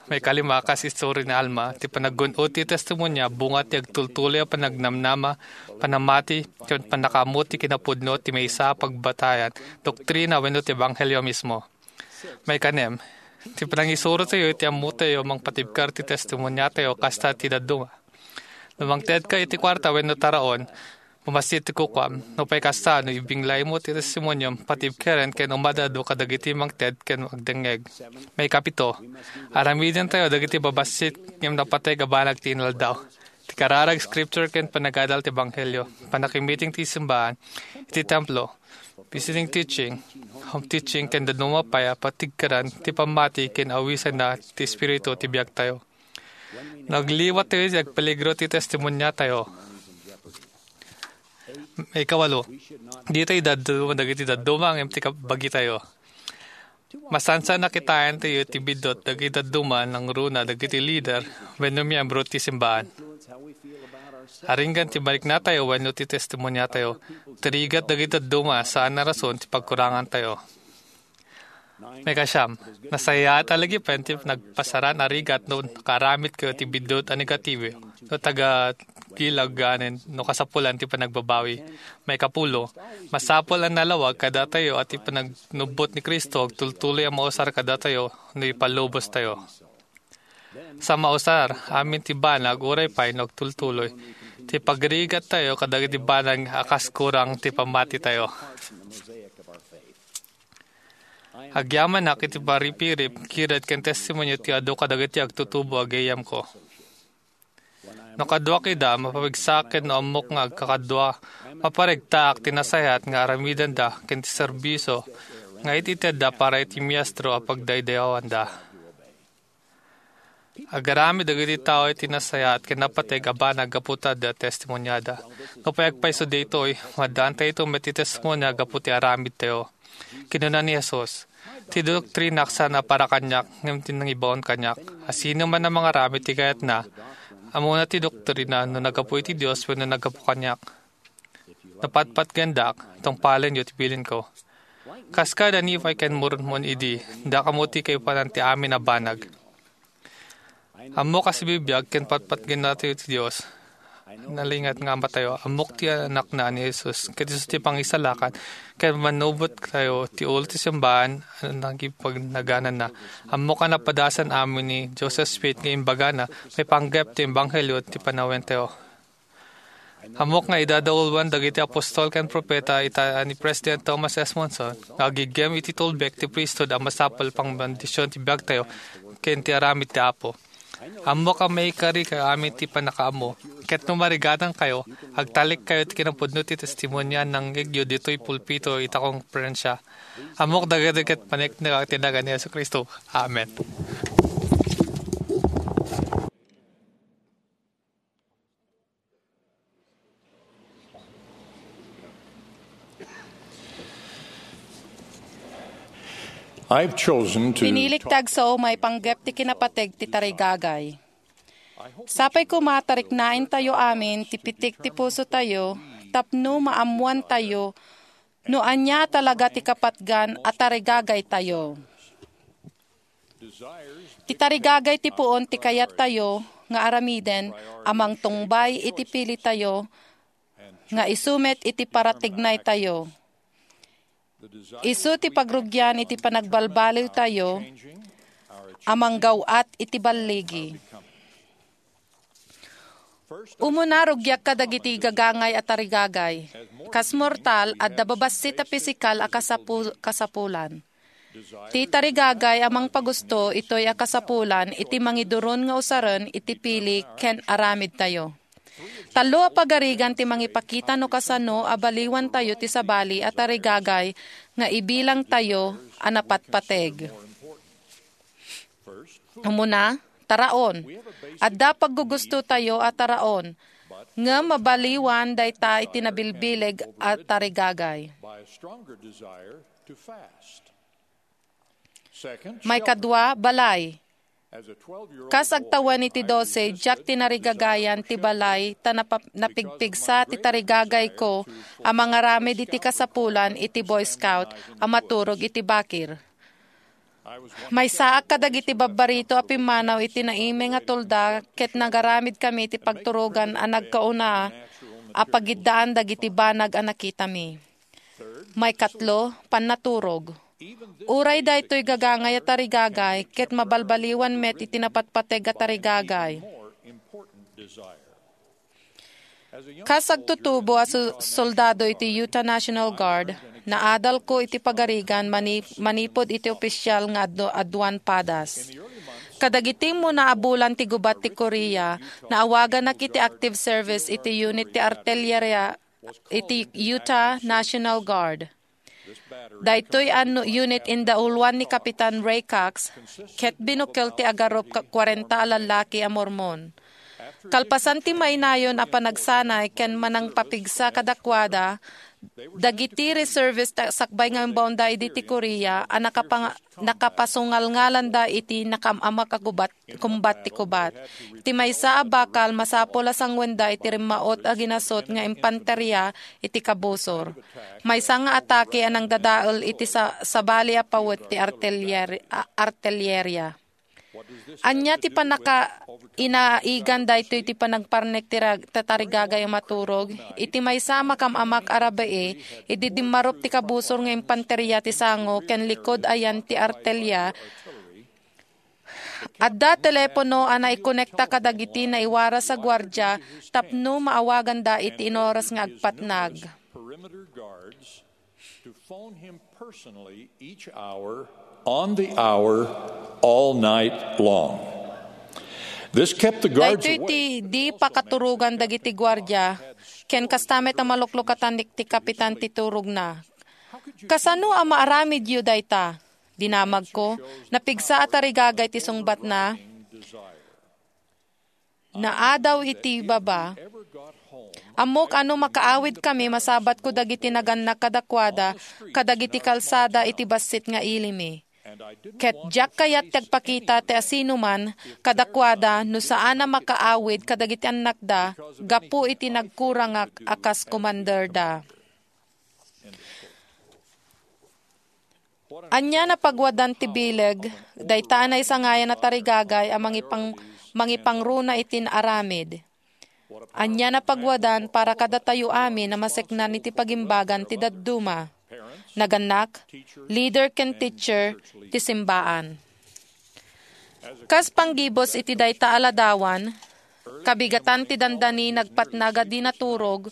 Maikalima, kas istori ni Alma, ti panaggun-od ti testimonia, bunga ti agtultuloy a panagnamnama, panamati, ken pannakaammo ti kinapudno ti maysa a pagbatayan, doktrina wenno ti ebanghelio mismo. Maikanem, ti panangisurotayo iti ammotayo mangpatibker ti testimoniatayo kasta ti dadduma. No mangtedka iti kuarta wenno taraon, Mamassit ti kukuam. Nupay kasta, no ibinglaymo ti testimoniom, patibkeren ken umad-adu kadagiti mangted ken agdengngeg. Maikapito, aramidentayo dagiti babassit ngem napateg a banag ti inaldaw. Ti kararag scripture ken panagadal ti ebanghelio, pannakimiting ti simbaan, iti templo, visiting teaching, home teaching, ken dadduma pay a patibkeren ti pammati ken awisenna ti Espiritu ti biagtayo. Nagliwat tayo iti agpeligro ti testimoniatayo. Ikawalo, ditoy dadduma dagiti dadduma ngem ti kabagitayo. Masansan a kitaentayo ti biddut dagiti dadduma nangruna dagiti lider wenno miyembro ti simbaan. Aringgan ti mariknatayo wenno ti testimoniatayo, ti rigat dagiti dadduma saan a rason ti pagkurangantayo. Maikasiam, nasayaat a lagipen ti nagpasaran a rigat no nakaaramidkayo ti biddut a negatibo, no taga-gilag ganen no kasapulan ti panagbabawi. Maikapulo, masapul a nalawag kadatayo a ti panagnubbot ni Cristo agtultuloy a mausar kadatayo no ipallubostayo. Sa mausar, amin ti banag uray pay no agtultuloy ti pagrigattayo kadagiti banag a kas kurang ti pammatitayo. Agyamanak iti paripirip, kirad ken testimonio ti adu kadagiti agtutubo a gayyemko. No kaduak ida, mapabigsak ken no ammok nga agkakadua, maparegtaak ti nasayaat nga aramidenda ken ti serbisio nga itedda para iti miestro a pagdaydayawanda. Agaramid dagiti tao iti nasayaat ken napateg a banag gapu ta adda testimoniada. Nupay agpayso daytoy, maaddaantayo met ti testimonia gapu ti aramidtayo. Kinuna ni Jesus, "Ti doktrinak saan a para kaniak, ngem ti nangibaon kaniak. A sinoman a mangaramid ti kayatna, ammona ti doktrina no naggapu iti Dios wenno naggapu kaniak." Napatpatgendak, tungpalenyo ti bilinko. Kas kada Nefi ken Mormon idi, dakayo ti kaipanan ti amin a banag. Ammok a sibibiag ken patpatgennatayo ti Dios. Nalingat nga Amatayo, ammok ti Anakna a ni Jesus, ket isu ti pangisalakan ken mannubot tayo ti ulo ti simbaan a nangipagnagananna. Ammok a napadasan amin ni Joseph Smith nga imbagana, maipanggep ti ebanghelio ti panawentayo. Ammok nga idadauluan dagiti apostol ken propeta ita ni President Thomas S. Monson nga agiggem iti tulbek ti priesthood a masapul pangbendision ti biagtayo ken ti aramid ti Apo. Ammok a maikari kayo amin ti pannakaammo, ket no marigatankayo, agtalekkayo ti kinapudno ti testimonia a nangngegyo ditoy pulpito ita konferensia. Ammok dagiti ket paneknek ti nagan ni Jesu-Cristo. Amen. I've chosen to Pinilik ti agsao maipanggep ti kinapateg ti tarigagay. Sapay koma tariknaentayo amin ti pitik ti pusotayo tapno maammoantayo No ania talaga ti kapatgan a tarigagaytayo? Ti tarigagay ti puon ti kayattayo nga aramiden a mangtungbay iti pilitayo nga isu met iti paratignaytayo. Isu ti pagrugian iti panagbalbaliwtayo a manggaw-at iti balligi. Umuna, rugiak kadagiti gagangay a tarigagay. Kas mortal, adda babassit a pisikal a kasapu-, kasapulan. Ti tarigagay a mangpagusto itoy a kasapulan iti mangiduron nga usaren iti pili ken aramidtayo. Tallo a pagarigan ti mangipakita no kasano a baliwantayo ti sabali a tarigagay nga ibilangtayo a napatpateg. Umuna, taraon. Adda paggugustotayo a taraon, ngem mabaliwan dayta iti nabilbileg a tarigagay. Maikadua, balay. Kas agtawen iti dose, diak tinarigagayan ti balay ta napa-, napigpigsa ti tarigagayko a mangaramid iti kasapulan iti Boy Scout a maturog iti bakir. Maysaak kadagiti babbarito a pimmanaw iti naimay nga tolda ket nagaramidkami iti pagturogan a nagkauna a pagiddaan dagiti banag a nakitami. Maikatlo, pannaturog. Uray daytoy gagangay a tarigagay ket mabalbaliwan met iti napatpateg a tarigagay. Kas agtutubo a su-, soldado iti Utah National Guard, naadalko iti pagarigan mani-, manipud iti opisial nga adu-, aduan padas. Kadagiti immuna a bulan ti gubat ti Korea, naawaganak iti active service iti unit ti artilleria iti Utah National Guard. Daytoy a nu-, unit indauluan ni Kapitan Ray Cox ket binukkel ti agarup ka-, kwarenta a lallaki a Mormon. Kalpasan ti mainayon a panagsanay ken manangpapigsa kadakuada, dagiti reservist a sakbay nga imbaonda idi ti Korea a nakapang-, nakapasungalngalanda iti nakaam-amak a gubat kumbat ti kubat. Iti maysa a bakal, masapul a sanguenda iti rimmaut a ginasut nga impanteria iti kabusor. Maysa nga atake a nangdadael iti sa-, sabali a pawet ti artiller-, a-, artilleria. Ania ti pannaka-, inaigan daytoy ti panagparnek ti rag-, tatarigagay a maturog? Iti maysa a makam-amak a rabii, idi dimmarup ti kabusor nga impanteria ti sango ken likud ayan ti artilleria, adda telepono a naikonekta kadagiti naiwaras a guardia tapno maawaganda iti inoras nga agpatnag. To phone him personally each hour, on the hour, all night long. This kept the guards Daytoy awake. Ti di pakaturugan dagiti guardia, ken kasta met a maluklukatan ti kapitan ti turogna. Kasano a maaramidyo dayta? Dinamagko, napigsa a tarigagay ti sungbatna. Naadaw iti baba. Ammok a no makaawidkami, masabatko dagiti nagannak kadakuada kadagiti kalsada iti bassit nga ilimi. Ket diak kayat ti agpakita ti asinoman kadakuada no saan a makaawid kadagiti annakda gapu iti nagkurangak a kas komanderda. Ania napaguadan ti bileg dayta a naisangayan a tarigagay a mangipang-, mangipangruna iti naaramid? Ania napaguadan para kadatayo amin a maseknan iti pagimbagan ti dadduma, nagannak, leader ken teacher ti simbaan? Kas panggibus iti dayta a ladawan, kabigatan ti dandani nagpatnag a di naturog,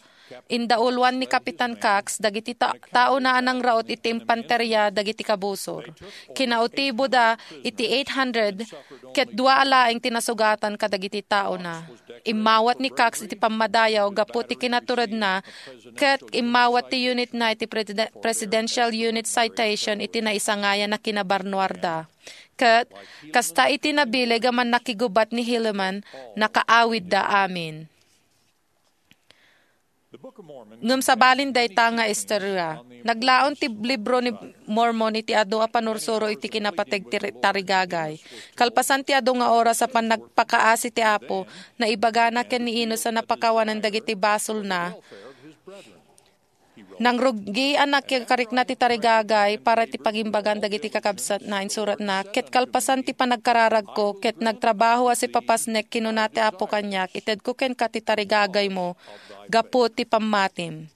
indauluan ni Kapitan Cox dagiti ta-, taona a nangraut iti impanteria dagiti kabusor. Kinautiboda iti eight hundred, ket dua a laeng ti nasugatan kadagiti taona. Immawat ni Cox iti pammadayaw gapu ti kinaturedna, ket immawat ti unitna iti Preside-, Presidential Unit Citation iti naisangayan a kinabarnuarda. Ket kasta iti nabileg a mannakigubat ni Helaman, nakaawidda amin. Ngem sabalin dayta nga istorya, naglaon ti libro ni Mormon iti adu a panursuro iti kinapateg ti ri-, tarigagay. Kalpasan ti adu nga oras a pannagpakaasi ti Apo, naibagana ken ni Enos a napakawanen dagiti basolna Nangrugi a nakikarikna ti tarigagay para ti pagimbagan dagiti kakabsatna, insuratna, ket kalpasan ti panagkararagko ket nagtrabaho a sipapasnek, kinuna ti Apo kaniak, itedko kenka ti tarigagaymo gapu ti pammatim.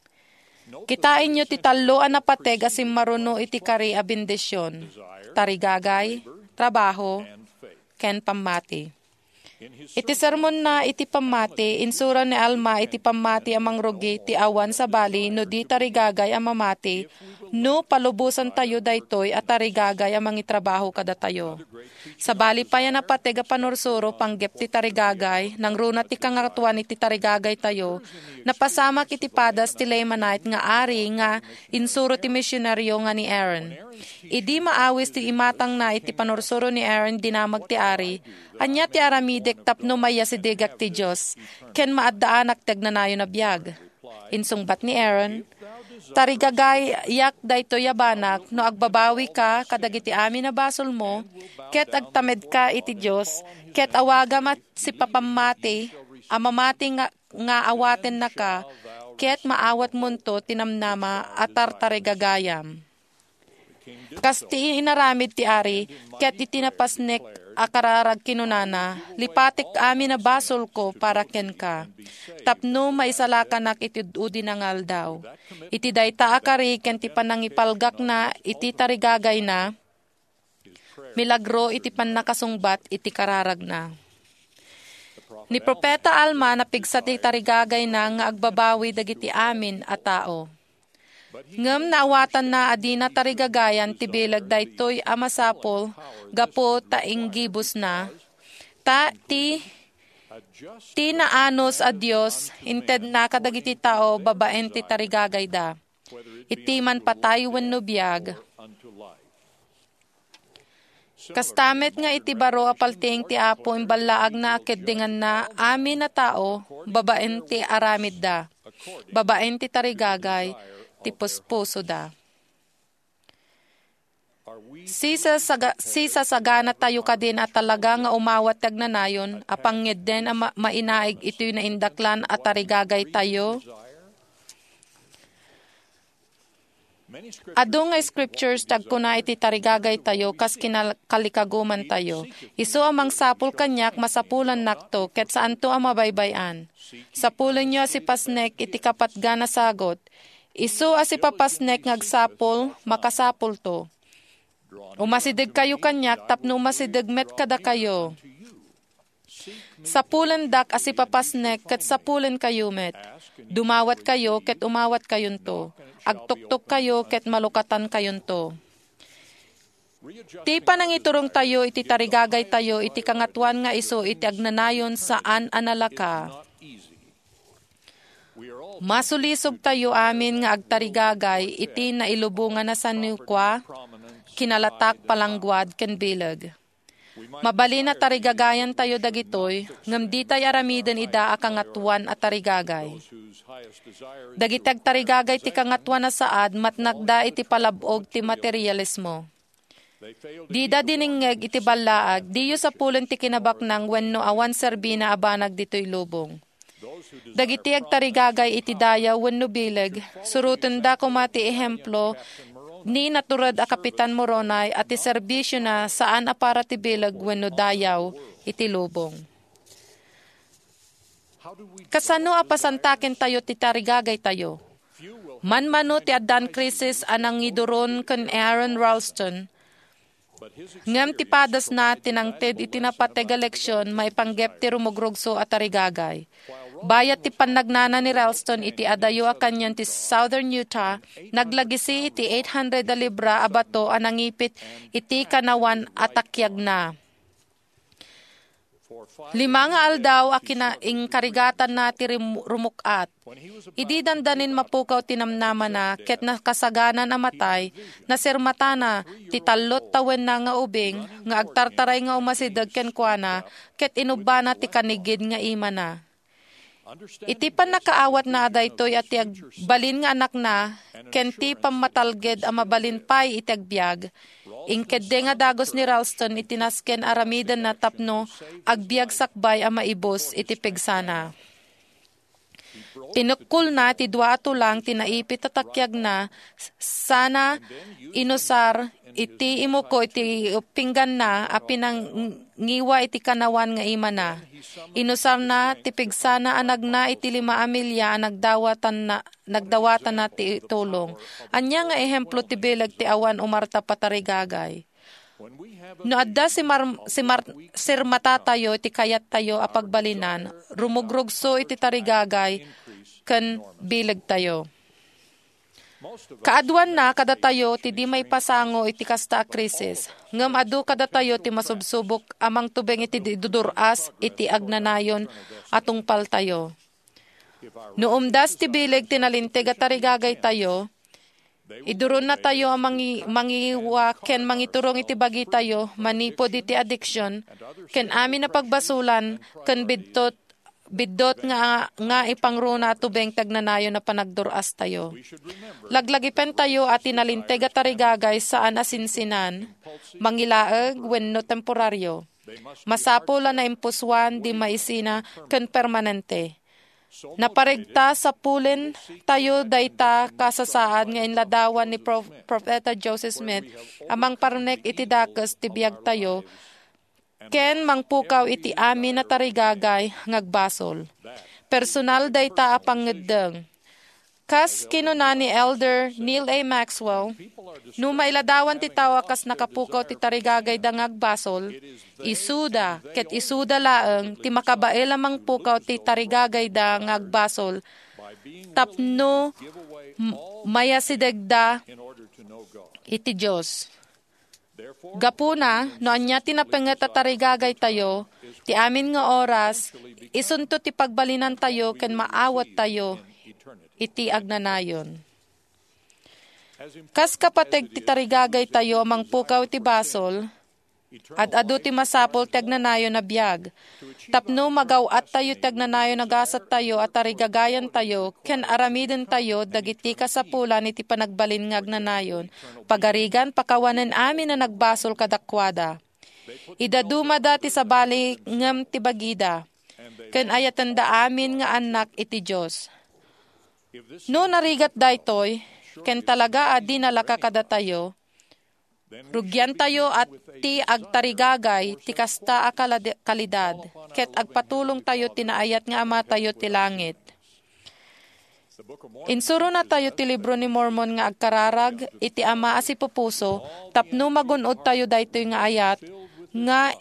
Kitaenyo ti tallo a napateg a simmaruno iti kari a bendision: tarigagay, trabaho, ken pammati. Iti sermonna iti pammati, insura ni Alma iti pammati a mangrugi ti awan sabali no di tarigagay a mamati, no palubosantayo daytoy a tarigagay a mangitrabaho kadatayo. Sabali pay a napateg a panursuro panggep ti tarigagay, nangruna ti kangatoan iti tarigagaytayo, napasamak iti padas ti Lamanite nga ari nga insuro ti misionario nga ni Aaron. Idi maawis ti imatangna iti panursuro ni Aaron, dinamag ti ari, "Ania ti aramidek tapno maiyasidegak ti Dios ken maaddaanak ti agnanayon a biag?" Insungbat ni Aaron, "Tarigagayak daytoy a banag no agbabawika kadagiti amin a basolmo, ket agtamedka iti Dios, ket awagam a sipapammati a mamati nga, nga awatennaka, ket maawatmonto ti namnama a tartarigagayam." Kas ti inaramid ti ari, ket iti napasnek a kararag kinunana, "Lipatek amin a basolko para kenka, tapno maisalakanak iti ud-udina nga aldaw." Iti dayta a kari ken ti panangipalgakna iti tarigagayna, milagro iti pannakasungbat iti kararagna. Ni Profeta Alma napigsa ti tarigagayna nga agbabawi dagiti amin a tao. Ngem naawatanna a dina tarigagayan ti bileg daytoy a masapul gapu ta inggibusna. Ta ti, ti naanus a Dios intedna kadagiti tao babaen ti tarigagayda, iti man patay wenno biag. Kasta met nga iti baro a paltiing ti Apo, imballaagna a keddinganna amin a tao babaen ti aramidda, babaen ti tarigagay ti puspusoda. Sisasaga-, sisasaganatayo kadin a talaga nga umawat ti agnanayon a pangngedden a ma-, mainaig itoy naindaklan a tarigagaytayo? Adu nga scriptures ti agkuna iti tarigagaytayo kas kinal-, kalikagumantayo. Isu a mangsapul kaniak, masapulannakto, ket saanto a mabaybay-an. Sapulenyo a sipasnek iti kapatgan a sagut. Isu a sipapasnek nga agsapul, makasapulto. Umasidegkayo kaniak tapno umasideg met kadakayo. Sapulendak a sipapasnek ket sapulenkayo met. Dumawatkayo ket umawatkayonto. Agtuktokkayo ket malukatankayonto. Ti panangiturongtayo iti tarigagaytayo iti Kangatoan nga isu iti agnanayon saan a nalaka. Masulisogtayo amin nga agtarigagay iti nailubongan a sanukua, kinalatak, palangguad, ken bileg. Mabalin a tarigagayantayo dagitoy, ngem ditay aramiden ida a kangatoan a tarigagay. Dagiti agtarigagay ti kangatoan a saad, matnagda iti palab-og ti materialismo. Dida dinengngeg iti ballaag, diyo sapulen ti kinabaknang wenno awan serbina a banag ditoy lubong. Dagiti agtarigagay iti dayaw wenno bileg, surotenda koma ti ehemplo ni natured a Kapitan Moroni a ti serbisiona saan a para ti bileg wenno dayaw iti lubong. Kasano a pasantakentayo ti tarigagaytayo? Manmano ti addan krisis a nangiduron ken Aron Ralston, ngem ti padasna ti nangted iti napateg a leksion maipanggep ti rumugrugso a tarigagay. Bayat ti pannagnana ni Ralston iti adayo a kanyon ti Southern Utah, naglagisi iti eight hundred a libra a bato a nangipit iti kanawan a takiagna. Lima nga aldaw a kina-, inkarigatanna ti rim-, rumuk-at. Idi dandanin mapukaw ti namnamana ket nakasaganan a matay, nasirmatana ti tallo tawenna nga ubing nga agtartaray nga umasideg kenkuana ket inubbana ti kanigid nga imana. Iti pannakaawatna a daytoy a ti agbalin nga anakna ken ti pammatalged a mabalin pay iti agbiag, inkeddeng a dagus ni Ralston iti nasken aramidenna tapno agbiag sakbay a maibus iti pigsana. Tinukkolna ti dua a tulang ti naipit a takiagna, sana inusar iti imuko iti pingganna a pinangngiwa iti kanawan nga imana. Inusarna ti pigsana a nagna iti lima a milya a nagdawatanna, nagdawatana ti tulong. Ania nga ehemplo ti bileg ti awan umarta patarigagay? No adda simar-, simar-, sirmatatayo iti kayattayo a pagbalinan, rumugrugso iti tarigagay ken bilegtayo. Kaaduanna kadatayo ti di maipasango iti kasta a krisis, ngem adu kadatayo ti masubsubok a mangtubeng iti di-, dudur-as iti agnanayon a tungpaltayo. No umdas ti bileg ti nalinteg a tarigagaytayo, iduronnatayo a mangi-, mangiwa ken mangiturong iti bagitayo manipud iti adiksion ken amin a pagbasolan ken bidtot, biddut nga, nga ipangruna a tubeng ti agnanayon a panagdur-astayo. Laglagipentayo a ti nalinteg a tarigagay saan a sinsinan, mangilaeg wenno temporario. Masapul a naimpusoan, di maisina, ken permanente. Naparegta, sapulentayo dayta kasasaad nga inladawan ni Prof-, Profeta Joseph Smith a mangparmek iti dakes ti biagtayo ken mangpukaw iti amin a tarigagay nga agbasol. Personal dayta a pangngeddeng. Kas kinuna ni Elder Neal A. Maxwell, no mailadawan ti tao a kas nakapukaw ti tarigagayda nga agbasol, isuda ket isuda laeng ti makabael a mangpukaw ti tarigagayda nga agbasol tapno m-, mayasidegda iti Dios. Gapuna, no ania ti napenget a tarigagaytayo, ti amin nga oras, isunto ti pagbalinantayo ken maawattayo iti agnanayon. Kas kapateg ti tarigagaytayo a mangpukaw iti basol, ad-adu ti masapul ti agnanayon a biag. Tapno magaw-attayo ti agnanayon a gasattayo a tarigagayantayo ken aramidentayo dagiti kasapulan iti panagbalin nga agnanayon, pagarigan, pakawanen amin a nagbasol kadakuada. Idadumada ti sabali ngem ti bagida, ken ayatenda amin nga annak iti Dios. No narigat daytoy, ken talaga a dinalaka kadatayo, rugiantayo a ti agtarigagay ti kasta a kalad-, kalidad, ket agpatulongtayo ti naayat nga Amatayo ti langit. Insuronatayo ti Libro ni Mormon nga agkararag iti Ama a sipupuso tapno magun-odtayo daytoy nga ayat nga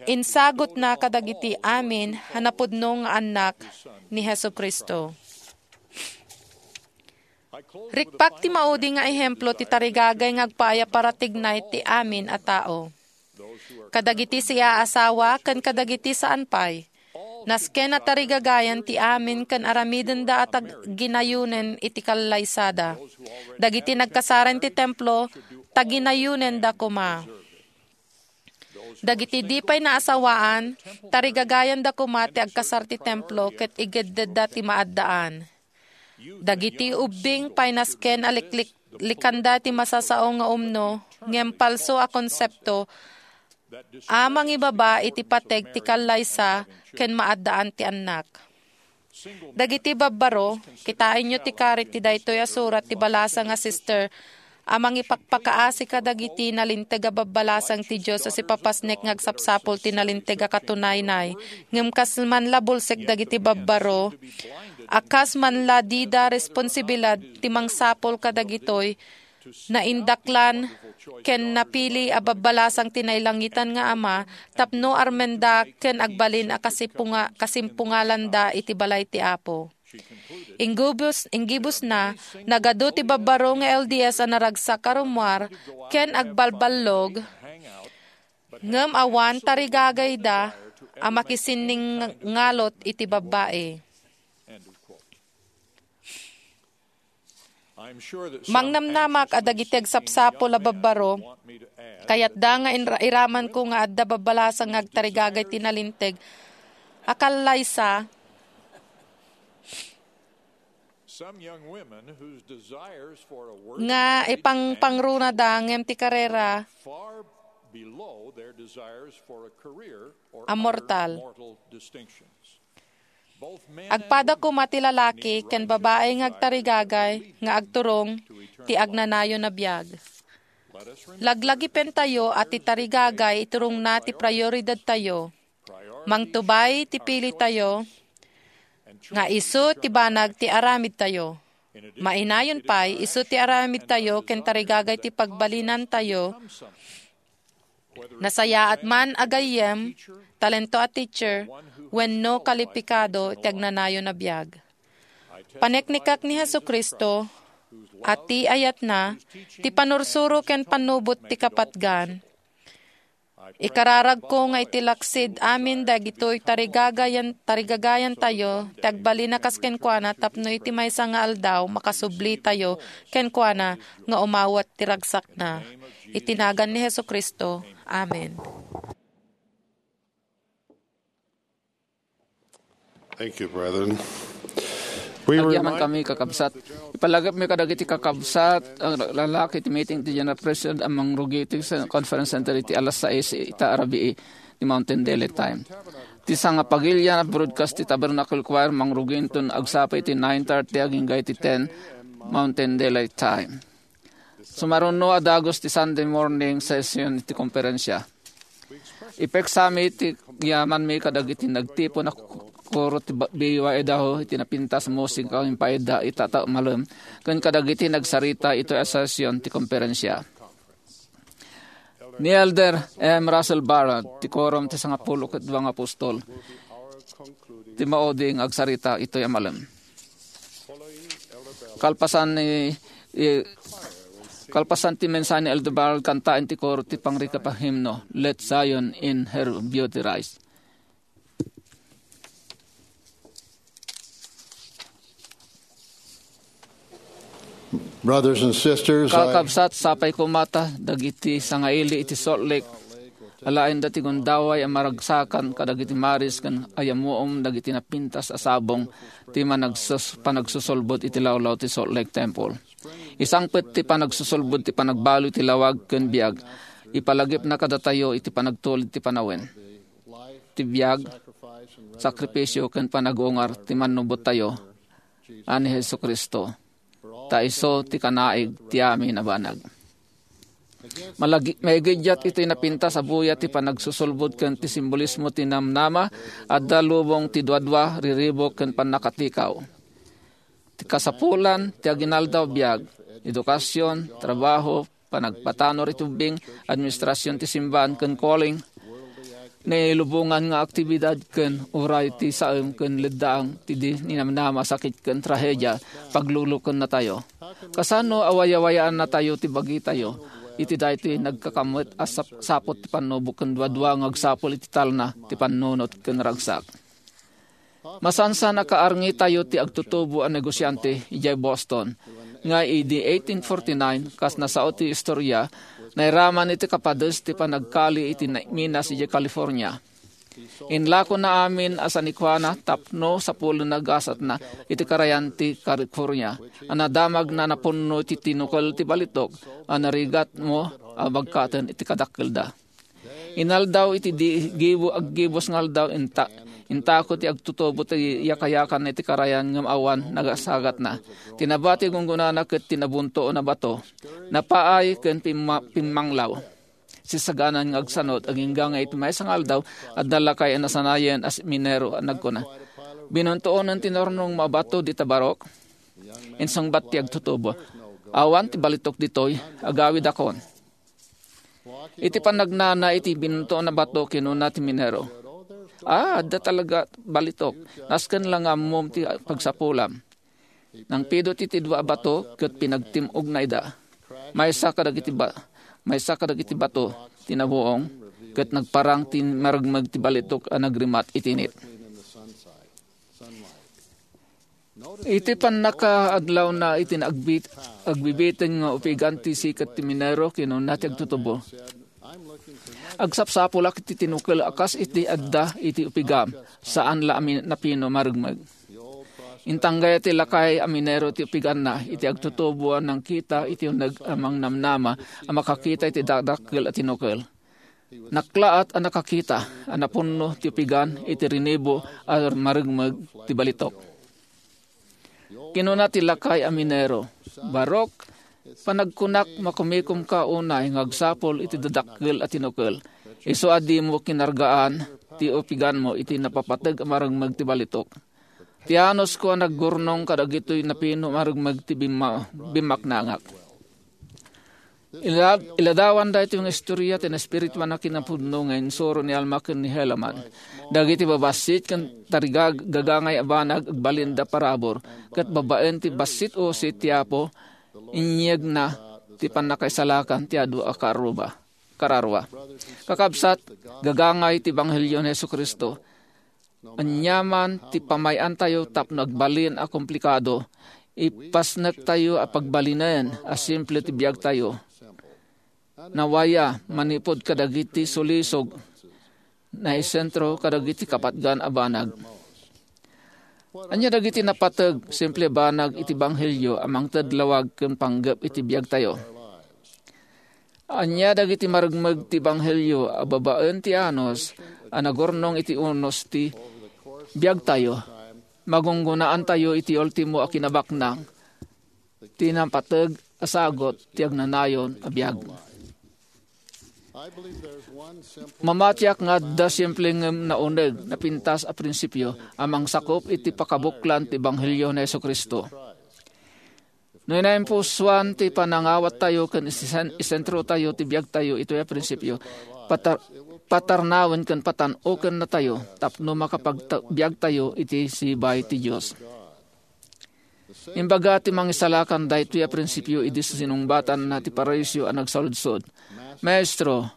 insagutna kadagiti amin a napudno nga annak ni Jesu-Cristo. Rikpak ti maudi nga ehemplo ti tarigagay nga agpaay a paratignay ti amin a tao. Kadagiti siaasawa ken kadagiti saan pay, nasken a tarigagayan ti amin ken aramidenda a tag-, ginayonen iti kallaysada. Dagiti nagkasar iti templo, taginayonenda koma. Dagiti di pay naasawaan, tarigagayanda koma ti agkasar ti templo ket iggeddedda ti maaddaan. Dagiti ubbing pay nasken a liklik-, likanda ti masasao nga umno, ngem palso a konsepto a mangibaba iti pateg ti kallaysa ken maaddaan ti annak. Dagiti babbaro, kitaenyo ti karit ti daytoy a surat ti balasang a sister a mangipakpakaasi kadagiti nalinteg a babbalasang ti Dios a sipapasnek nga agsapsapul ti nalinteg a katunaynay. Ngem kas man la bulsek dagiti babbaro, a kas man la dida responsibilidad ti mangsapul kadagitoy naindaklan ken napili a babbalasang ti nailangitan nga Ama tapno armenda ken agbalin a kasipunga-, kasimpungalanda iti balay ti Apo. Inggibus-, inggibusna, nagadu ti babbaro nga L D S a naragsak a rummuar ken agbalballog, ngem awan tarigagayda a makisinningalot iti babbai. Mangnamnamak a dagiti agsapsapul a babbaro, kayatda nga inra-, iramanko nga adda babbalasang nga agtarigagay ti nalinteg a kallaysa nga ipangpangrunada ngem ti karera a mortal. Agpada koma ti lalaki ken babai nga agtarigagay nga agturong ti agnanayon a biag. Laglagipentayo a ti tarigagay iturongna ti prioridadtayo. Mangtubay ti pilitayo nga isu ti banag ti aramidtayo. Mainayon pay, isu ti aramidtayo ken tarigagay ti pagbalinantayo. Nasayaat man a gayyem, talento a teacher, wenno kalipikado ti agnanayon a biag. Paneknekak ni Jesu-Cristo a ti ayatna ti panursuro ken pannubot ti kapatgan. Ikararagko nga iti laksid amin dagitoy tarigagayan, tarigagayantayo ti agbalin a kas kenkuana tapno iti maysa nga aldaw makasublitayo kenkuana nga umawat ti ragsakna. Iti nagan ni Jesu-Cristo. Amen. Thank you, brethren. We Agyaman remind kami, kakabsat. Ipalagipmi kadagiti kakabsat, ang lalaki ti meeting ti General President a mangrugi iti sa-, Conference Center iti alas sais ita a rabii ti Mountain Daylight Time. Ti sangapagilian a broadcast ti Tabernacle Choir mangrugi inton agsapa iti nine thirty agingga iti ten Mountain Daylight Time. Sumaruno a dagus ti Sunday morning session iti komperensia. Ipeksami ti yamanmi kadagiti nagtipon a koro ti ba-, B Y Idaho iti napintas a musika nga impaayda ita a malem ken kadagiti nagsarita iti session ti komperensia. Ni Elder M. Russell Ballard, ti Quorum ti Sangapulo ket Dua nga Apostol, ti maudi nga agsarita iti malem. Kalpasan ni, i-, kalpasan ti mensahe ni Elder Ballard, kantaen ti koro ti pangrikep a himno, "Let Zion in Her Beauty Rise." Brothers and sisters, I Kakabsat, sapay koma ta dagiti sangaili iti Salt Lake, alaenda ti gundaway a maragsakan kadagiti maris ken ayamuom dagiti napintas a sabong ti managsus-, panagsusulbod iti lawlaw ti Salt Lake Temple. Isangpet ti panagsusulbod ti panagbalo iti lawag ken biag. Ipalagipna kadatayo iti panagtulid ti panawen, ti biag, sakripisio, ken panagungar ti mannubottayo a ni Jesu-Cristo, ta isu ti kanaig ti amin a banag. Malagi-, maigiddiat iti napintas a buya ti panagsusulbod ken ti simbolismo ti namnama, adda lubong ti duadua, riribuk, ken pannakatikaw. Ti kasapulan ti aginaldaw biag, edukasyon, trabaho, panagpatanor iti ubbing, administrasyon ti simbaan ken calling, nailubongan nga aktibidad ken uray ti saem ken leddaang ti di ninamnama a sakit ken trahedia, paglulukennatayo. Kasano a wayawayaannatayo ti bagitayo iti daytoy nagkakammet a sap-, saput ti pannubok ken duadua nga agsapul iti talna ti pannunot ken ragsak? Masansan a kaarngitayo ti agtutubo a negosiante idiay Boston nga idi eighteen forty-nine, kas nasao ti istorya, nairaman iti kapades ti panagkali iti na-, minas idiay California. Inlakona amin a sanikuana tapno sapulen a gasatna iti karayan ti California a nadamagna a napunno iti tinukel ti balitok a narigatmo a bagkaten iti kadakkelda. Inaldaw iti di gibu-, aggibus nga aldaw, inta-, intako ti agtutubo ti yakayakan iti karayan ngem awan nagasagatna. Ti nabati gunggonana ket ti nabuntoon a bato, napaay ken pimma-, pimmanglaw. Sisaganan nga agsanod, agingga nga iti maysa nga aldaw, adda lakay a nasanayen a minero a nagkuna, "Binuntoon ti nurnong a bato dita barok?" Insungbat ti agtutubo, "Awan ti balitok ditoy, agawidakon." Iti panagnana iti binuntoon a bato, kinuna ti minero, "Ah, adda talaga balitok. Nasken la nga ammom ti pagsapulam." Nangpido ti, ti dua a bato ket pinagtim-ogna ida. Maysa kadagiti ba-, maysa kadagiti bato ti nabuong ket nagparang ti maragmeg ti balitok a nagrimat iti init. Iti pannakaadlawna iti naagbit-, agbibiteng nga upigan ti siket ti minero, kinuna ti agtutubo, "Agsapsapulak iti tinukel a kas iti adda iti upigam, saan la a mi-, napino maragmeg." Intanggay ti lakay a minero ti upiganna iti agtutubo a nangkita iti uneg a mangnamnama a makakita iti dakdakkel a tinukel. Naklaat a nakakita a napunno ti upigan iti rinibo a marengmeg ti balitok. Kinuna ti lakay a minero, "Barok, panagkunak, makumikomka unay nga agsapul iti dadakkel a tinukel, isu a dimo kinargaan ti upiganmo iti napapateg a marengmeg ti balitok. Ti anusko a naggurnong kadagitoy napino a marengmeg ti bimma-, bimmaknangak." Ila-, iladawan daytoy nga istorya ti naespirituan a kinapudno nga insuro ni Alma ken ni Helaman. Dagiti babassit ken tarigagagangay a banag agbalinda parabur, ket babaen ti bassit usit ti Apo, inyegna ti pannakaisalakan ti adu a karuba, kararua. Kakabsat, gagangay ti Ebanghelio ni Jesu-Cristo. Aniaman ti pamay-antayo tapno agbalin a komplikado, ipasnektayo a pagbalinen a simple ti biagtayo. Nawaya manipud kadagiti sulisog, naisentro kadagiti kapatgan a banag. Ania dagiti napateg, simple banag iti Ebanghelio a mangted lawag ken panggep iti biagtayo? Ania dagiti marengmeg ti Ebanghelio a babaen ti anus a nagurnong iti unos ti biagtayo? Magunggunaantayo iti ultimo a kinabaknang, ti napateg a sagut ti agnanayon a biag. Mamatiak nga adda simple ngem nauneg, napintas a prinsipio a mangsakup iti pakabuklan ti Ebanghelio ni Jesu-Cristo. No naimpusuan ti panangawattayo ken isen-, isentrotayo ti biagtayo itoy a prinsipio, patar-, patarnawen ken patan-okennatayo tapno makapagbiagtayo iti sibay ti Dios. Imbaga ti Mangisalakan daytoy a prinsipio idi sinungbatanna ti Pariseo a nagsaludsod, "Maestro,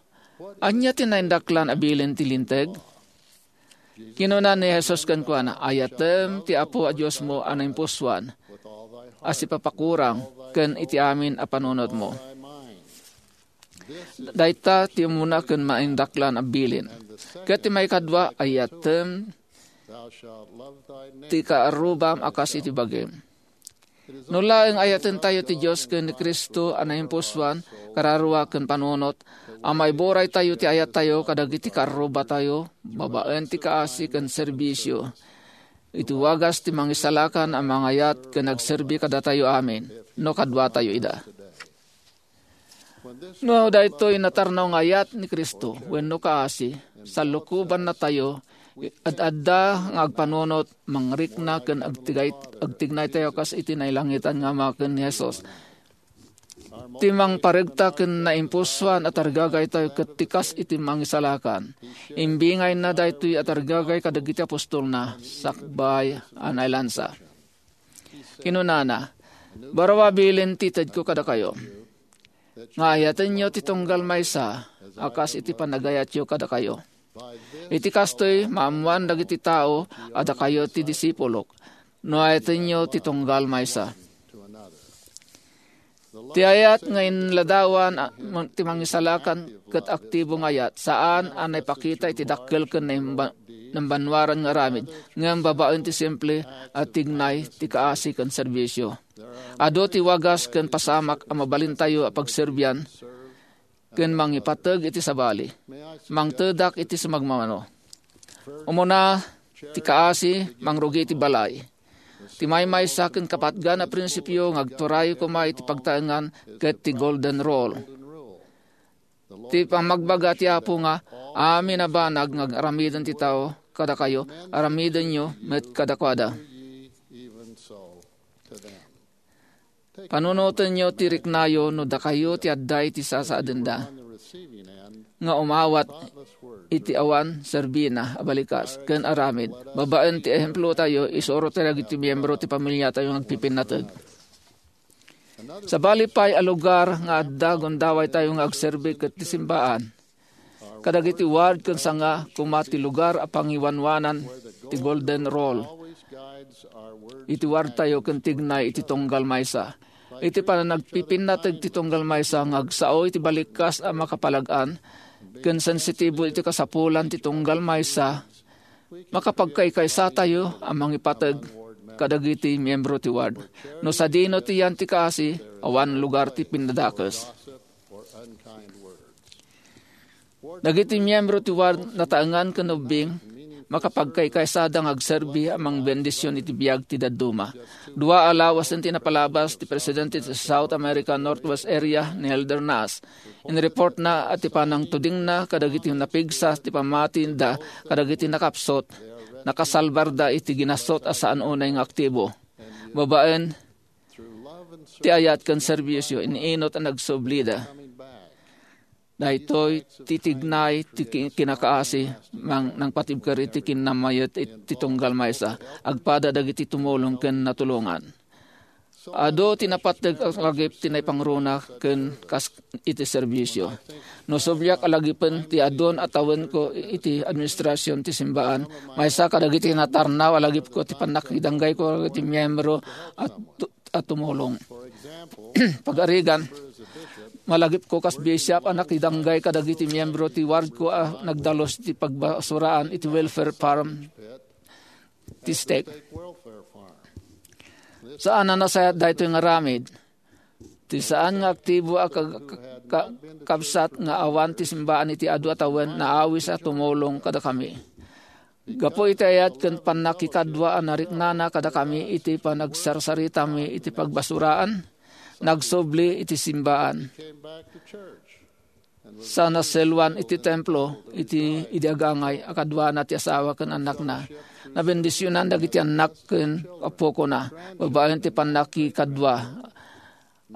ania ti naindaklan a bilin ti Linteg?" Kinuna ni Jesus kenkuana, "Ayatem ti Apo a Diosmo a naimpusuan a sipapakurang ken iti amin a panunotmo." Dayta ti umuna ken maindaklan a bilin. Ket ti maikadua, "Ayatem ti kaarrubam a kas iti bagim." No laeng ayatentayo ti Dios ken ni Cristo a naimpusuan, kararua ken panunot, a maiburaytayo ti ayattayo kadagiti kaarrubatayo babaen ti kaasi ken serbisio. Iti wagas ti Mangisalakan a mangayat ken agserbi kadatayo amin, no kaduatayo ida. No daytoy natarnaw nga ayat ni Cristo wenno kaasi, sallukobannatayo, ad-adda nga agpanunot, mangrikna ken agtigay-, agtignaytayo kas iti nailangitan nga Ama ken ni Jesus. Ti mangparegta ken naimpusuan a tarigagaytayo ket ti kas iti Mangisalakan. Imbingayna daytoy a tarigagay kadagiti apostolna sakbay a nailansa. Kinunana, "Baro a bilin ti itedko kadakayo, nga ayatenyo ti tunggal maysa a kas iti panagayatyo kadakayo. Iti kastoy, maammoan dagiti tao a dakayo ti disipulok, no ayatenyo ti tunggal maysa." Ti ayat nga inladawan a, ti Mangisalakan ket aktibo nga ayat, saan a naipakita iti dakkel ken naimba-, nambanwaran nga aramid, ngem babaen ti simple a tignay ti kaasi ken serbisio. Adu ti wagas ken pasamak a mabalintayo a pagserbian ken mangipateg iti sabali. Mangtedak iti sumagmamano. Umuna, ti kaasi, mangrugi iti balay. Ti maymaysa ken kapatgan a prinsipio nga agturay koma iti pagtaengan ket ti Golden Rule. Ti pammagbaga ti Apo nga, "Amin a banag nga aramiden ti tao kadakayo, aramidenyo met kadakuada." Panunotenyo ti riknayo no dakayo ti adda iti sasaadenda nga umawat iti awan serbina a balikas ken aramid babaen ti ehemplotayo, isurotayo dagiti miembro ti pamiliatayo nga agpipinnateg. Sabali pay a lugar nga adda gundawaytayo nga agserbi ket ti simbaan. Kadagiti ward ken sanga koma ti lugar a pangiwanwanan ti Golden Rule iti wardtayo ken tignay iti tunggal maysa. Iti panagpipinnateg ti tunggal maysa nga agsao iti balikas a makapalag-an ken sensitibo iti kasapulan ti tunggal maysa, makapagkaykaysatayo a mangipateg kadagiti miembro ti ward. No sadino ti yan ti kaasi, awan lugar ti pinnadakes. Dagiti miyembro ti ward nataengan ken ubbing, makapagkaykaysada nga agserbi a mangbendision iti biag ti dadduma. Dua a lawasen ti napalabas ti presidente ti South America Northwest Area ni Elder Nas. Inreportna a ti panangtudingna kadagiti napigsa ti pammatinda kadagiti nakapsut, nakasalbarda iti ginasut a saan unay nga aktibo. Babaen ti ayat ken serbisio, iniinut a nagsublida. Daytoy ti tignay ti ki-, kinakaasi, mang-, nangpatibker iti kinnamayat it-, ti tunggal maysa, agpada dagiti tumulong ken natulongan. Adu ti napateg a lagip ti naipangruna ken kas iti serbisio. No subliak a lagipen ti adun a tawenko iti administrasion ti simbaan, maysa kadagiti natarnaw a lagipko ti pannakidanggayko iti miyembro a tu-, a tumulong. Pagarigan, malagipko kas bishop a nakidanggay kadagiti miyembro ti wardko a nagdalus ti pagbasuraan iti welfare farm ti stake. Saan a nasayaat daytoy nga aramid. Ti saan nga aktibo a ka-, ka-, ka-, kabsat nga awan ti simbaan iti adu a tawen naawis a tumulong kadakami. Gapu iti ayat ken pannakikadua a nariknana kadakami iti panagsarsaritami iti pagbasuraan, nagsubli iti simbaan. Sa naselwan iti templo, iti idi agangay a kaduana ti asawa ken annakna, nabendisionan dagiti annak ken apokona babaen ti pannakikadua.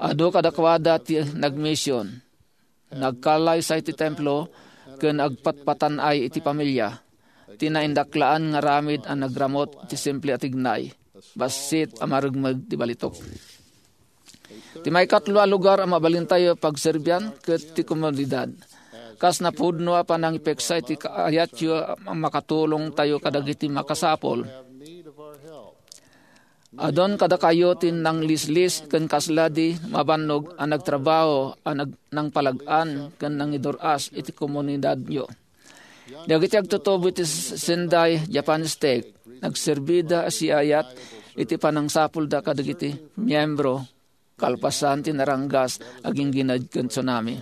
Adu kadakuada ti nagmision. Nagkallaysay ti templo ken agpatpatan-ay iti pamilia. Ti naindaklaan nga aramid a nagramut ti simple a tignay, bassit a marugmeg ti balitok. Ti maikatlo a lugar a mabalintayo pagserbian ket ti komunidad. Kas napudno a panangipeksa iti kaayatyo a makatulongtayo kadagiti makasapul. Adun kadakayo ti nanglislis ken kasla di mabannog a nagtrabaho a nag-, nangpalag-an ken nangidur-as iti komunidadyo. Dagiti agtutubo iti Sendai Japan Stake, nagserbida a siayat iti panangsapulda kadagiti miyembro kalpasan ti naranggas a ginggined ken tsunami.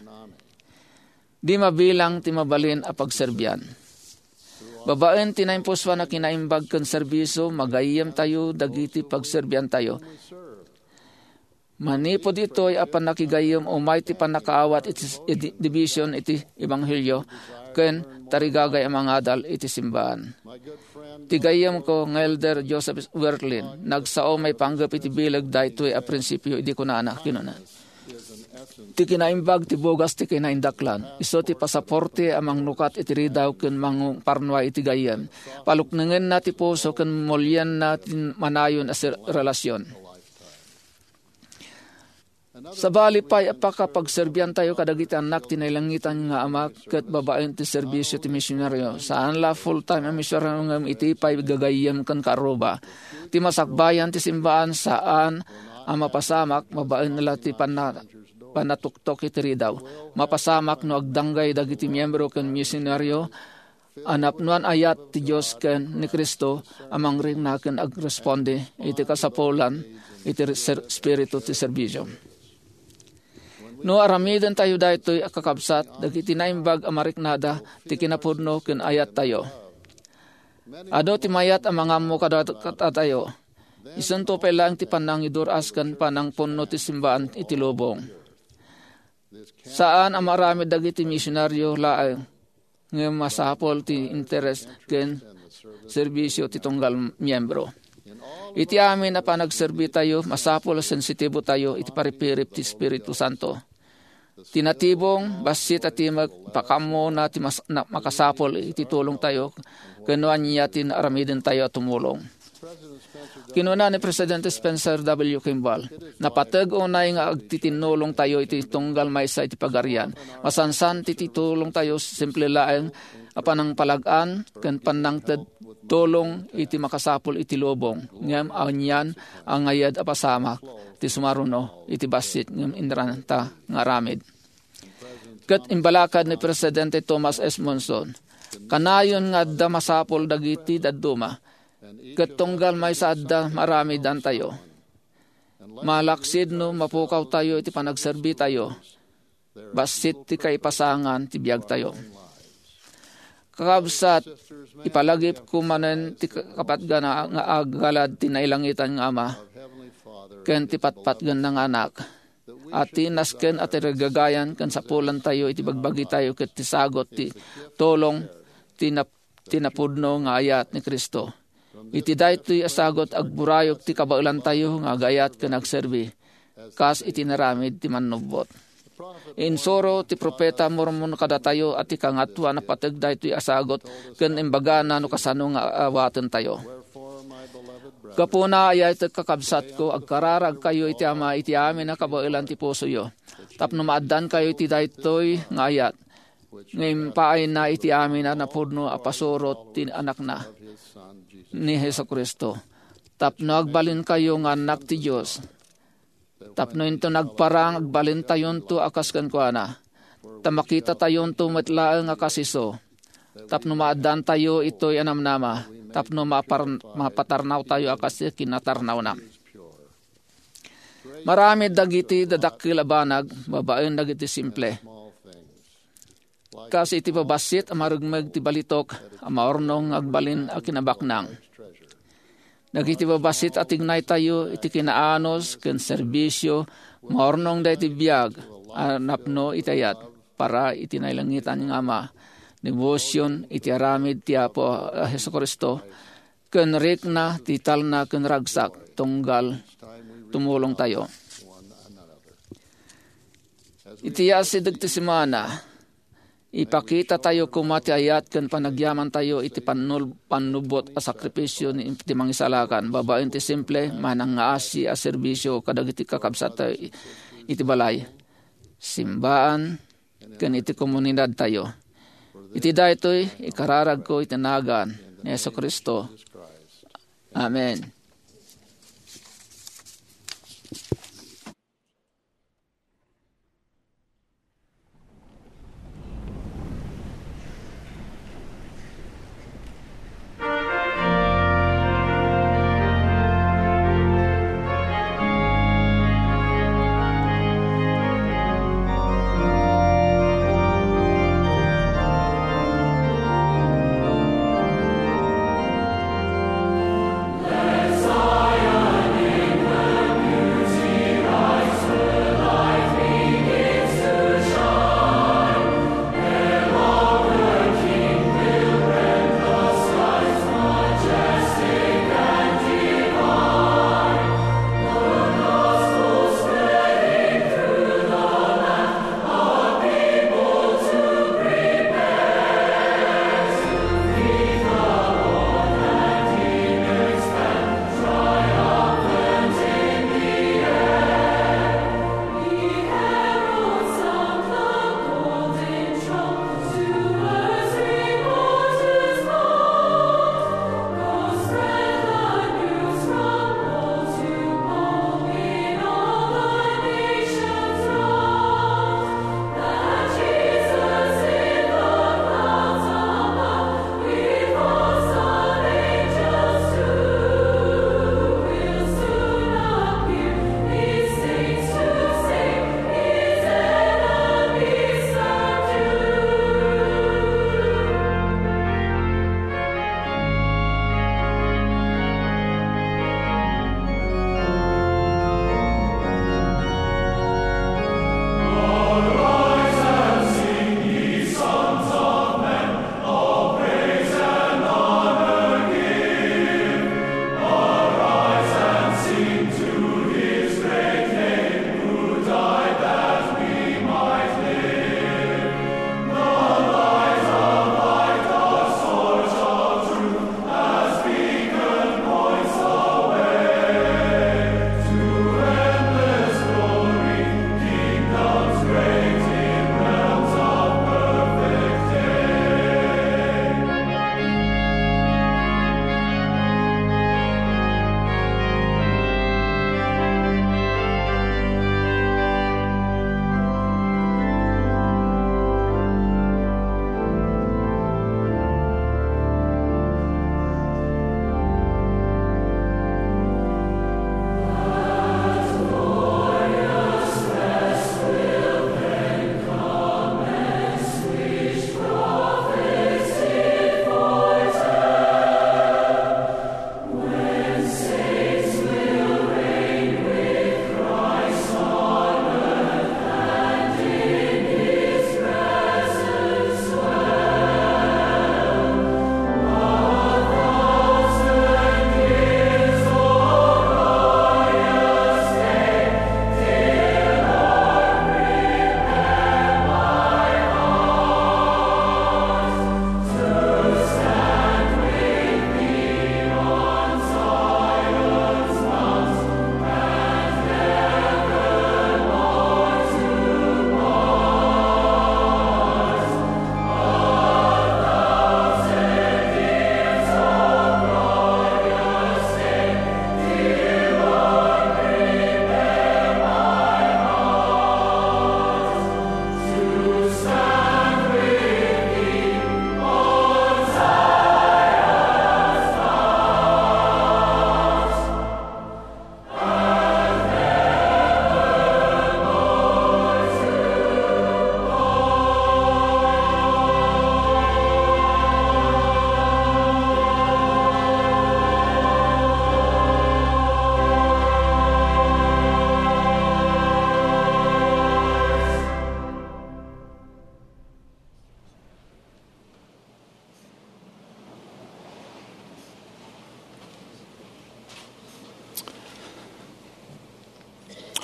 Di mabilang ti mabalin a pagserbian. Babaen ti naimpusoan a kinaimbag ken serbisio, magayyemtayo dagiti pagserbiantayo. Manipud ditoy a pannakigayyem, umay ti pannakaawat iti s-, iti division iti ebanghelio ken tarigagay a mangadal iti simbaan. Ti gayyemko nga Elder Joseph Wirthlin, nagsao maipanggep iti bileg daytoy a prinsipio idi kunana, kinuna, "Ti kinaimbag ti bugas ti kinaindaklan. Isu ti pasaporte a mangnukat iti ridaw ken mangparnuay iti gayyem. Paluknengenna ti puso ken mulienna ti manayon a ser-, relasyon." Sabali pay a pakapagserbiantayo kadagiti annak ti nailangitan nga Ama ket babaen ti serbisio ti misionaryo. Saan la full-time a misionaryo ngem iti pay gagayyem ken kaarruba. Ti masakbayan ti simbaan saan a mapasamak babaen la ti panna-, pannatuktok iti ridaw. Mapasamak no agdanggay dagiti miyembro ken misionaryo a napnoan ayat ti Dios ken ni Cristo a mangrikna ken agresponde iti kasapulan iti ser-, espiritu ti serbisio. No aramidentayo daytoy a kakabsat, dagiti naimbag a mariknada ti kinapudno ken ayattayo. Adu ti mayat a mangammo kada-, kadatayo. Isunto pay laeng ti panangidur-as ken panangpunno ti simbaan iti lubong. Saan a maaramid dagiti misionaryo laeng, ngem masapul ti interes ken serbisio ti tunggal miyembro. Iti amin a panagserbitayo, masapul a sensitibotayo iti paripirip ti Espiritu Santo. Ti natibong, bassit a timek, pakammona ti mas-, na-, makasapul iti tulongtayo ken no ania ti naaramidentayo a tumulong. Kinuna ni Presidente Spencer W. Kimball, "Napateg unay nga agtitinnulongtayo iti tunggal maysa iti Pagarian. Masansan ti titulongtayo simple laeng a panangpalag-an ken pannangted tulong iti makasapul iti lubong, ngem anian a ngayad a pasamak ti sumaruno iti bassit ngem inranta nga aramid." Ket imbalakad ni Presidente Thomas S. Monson, "Kanayon nga adda masapul dagiti dadduma, ket tunggal maysa adda maaramidantayo. Malaksid no mapukawtayo iti panagserbitayo, bassit ti kaipasangan ti biagtayo." Kakabsat, ipalagipko manen ti kapatgan nga aggalad ti nailangitan nga Ama ken ti patpatgenna nga Anak, a ti nasken a ti gagayan ken sapulantayo iti bagbagitayo ket ti sagut ti tulong ti nap-, ti napudno nga ayat ni Cristo. Iti daytoy a sagut, agburayok ti kabaelantayo nga agayat ken agserbi, kas iti naramid ti Mannubbot. Insuro ti profeta Mormon kadatayo a ti Kangatoan a pateg daytoy a sagut ken imbagana no kasano nga awatentayo. Gapuna, ayatek, kakabsatko, agkararagkayo iti Ama iti amin a kabaelan ti pusoyo, tapno maaddankayo iti daytoy nga ayat nga impaayna iti amin a napudno a pasurot ti Anakna, ni Jesu-Cristo, tapno agbalinkayo nga annak ti Dios, tapno inton agparang, agbalintayonto a kas kenkuana, ta makitatayonto met laeng a kas isu, tapno maaddantayo itoy a namnama, tapno mapar-, mapatarnawtayo a kas ti kinatarnawna. Maramid dagiti dadakkel a banag babaen dagiti simple. Kas iti babassit a marugmeg ti balitok a maurnong nga agbalin a kinabaknang. Dagiti babassit a tignaytayo iti kinaanus ken serbisio, maurnongda iti biag a napno iti ayat para iti nailangitan nga Ama, debosion iti aramid ti Apo a Jesu-Cristo, ken rikna ti talna ken ragsak tunggal tumulongtayo. Iti asideg ti semana, ipakitatayo koma ti ayat ken panagyamantayo iti pannul-, pannubbot a sakrifisio ni, ti Mangisalakan babaen ti simple, manangngaasi a serbisio kadagiti kakabsattayo iti balay, simbaan, ken iti komunidadtayo. Iti daytoy, ikararagko iti nagan ni Jesu-Cristo. Amen.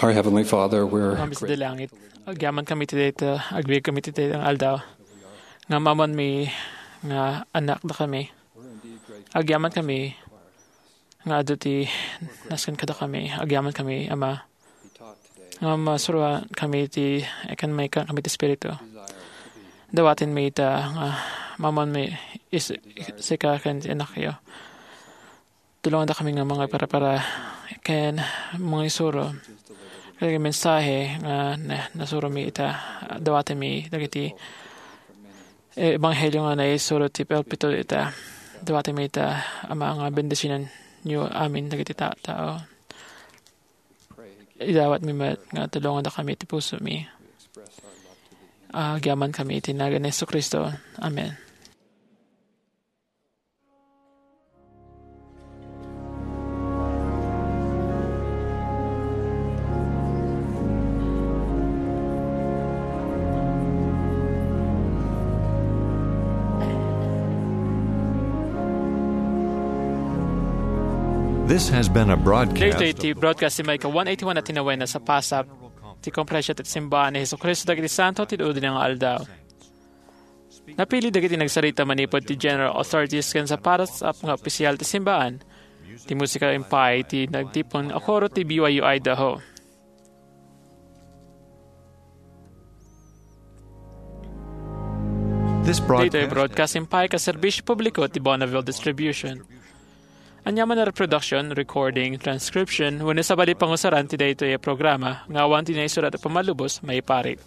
Our Heavenly Father, we're Amin sa langit. Agyaman kami ti dayta, agbiag kami ti dayta nga aldaw. Nga mamanmi nga anakda kami. Agyaman kami nga adu ti nasken kada kami. Agyaman kami, Ama. Nga masuroan kami ti, ikan may kami ti Espiritu. Dawaten mi ita nga mamanmi is, sika ken ti anakyo. Tulonganda kami nga mga para-para ken mga isuro. Kaya mensahe nga na, nasuro mi ita, dawati mi dagiti, eh, ebanghelyo nga naisuro ti pulpito ita. Dawati mi ita, Ama, nga bendisyonan niyo amin dagiti ta-, tao. Idawat mi met nga tulonganda kami ti puso mi. Agyaman kami iti nagan ni Jesu-Cristo. Amen. This has been a broadcast. Daytoy ti broadcast ti maika one eighty-one a tinawen a sapasap ti Konferensya ti Simbaan ni Jesu-Cristo dagiti Santo ti Udine nga Aldaw. Napili dagiti nagsarita manipud ti General Authorities ken sapasap nga opisyal ti simbaan. Ti musika impay ti nagtipon a koro ti B Y U Idaho. This Daytoy broadcast broadcast impay ka serbisyo publiko ti Bonneville Distribution. Ania man a reproduction, recording, transcription, wenno sabali pangusaran ti daytoy a programa nga awan ti naisurat a pammalubos maiparit.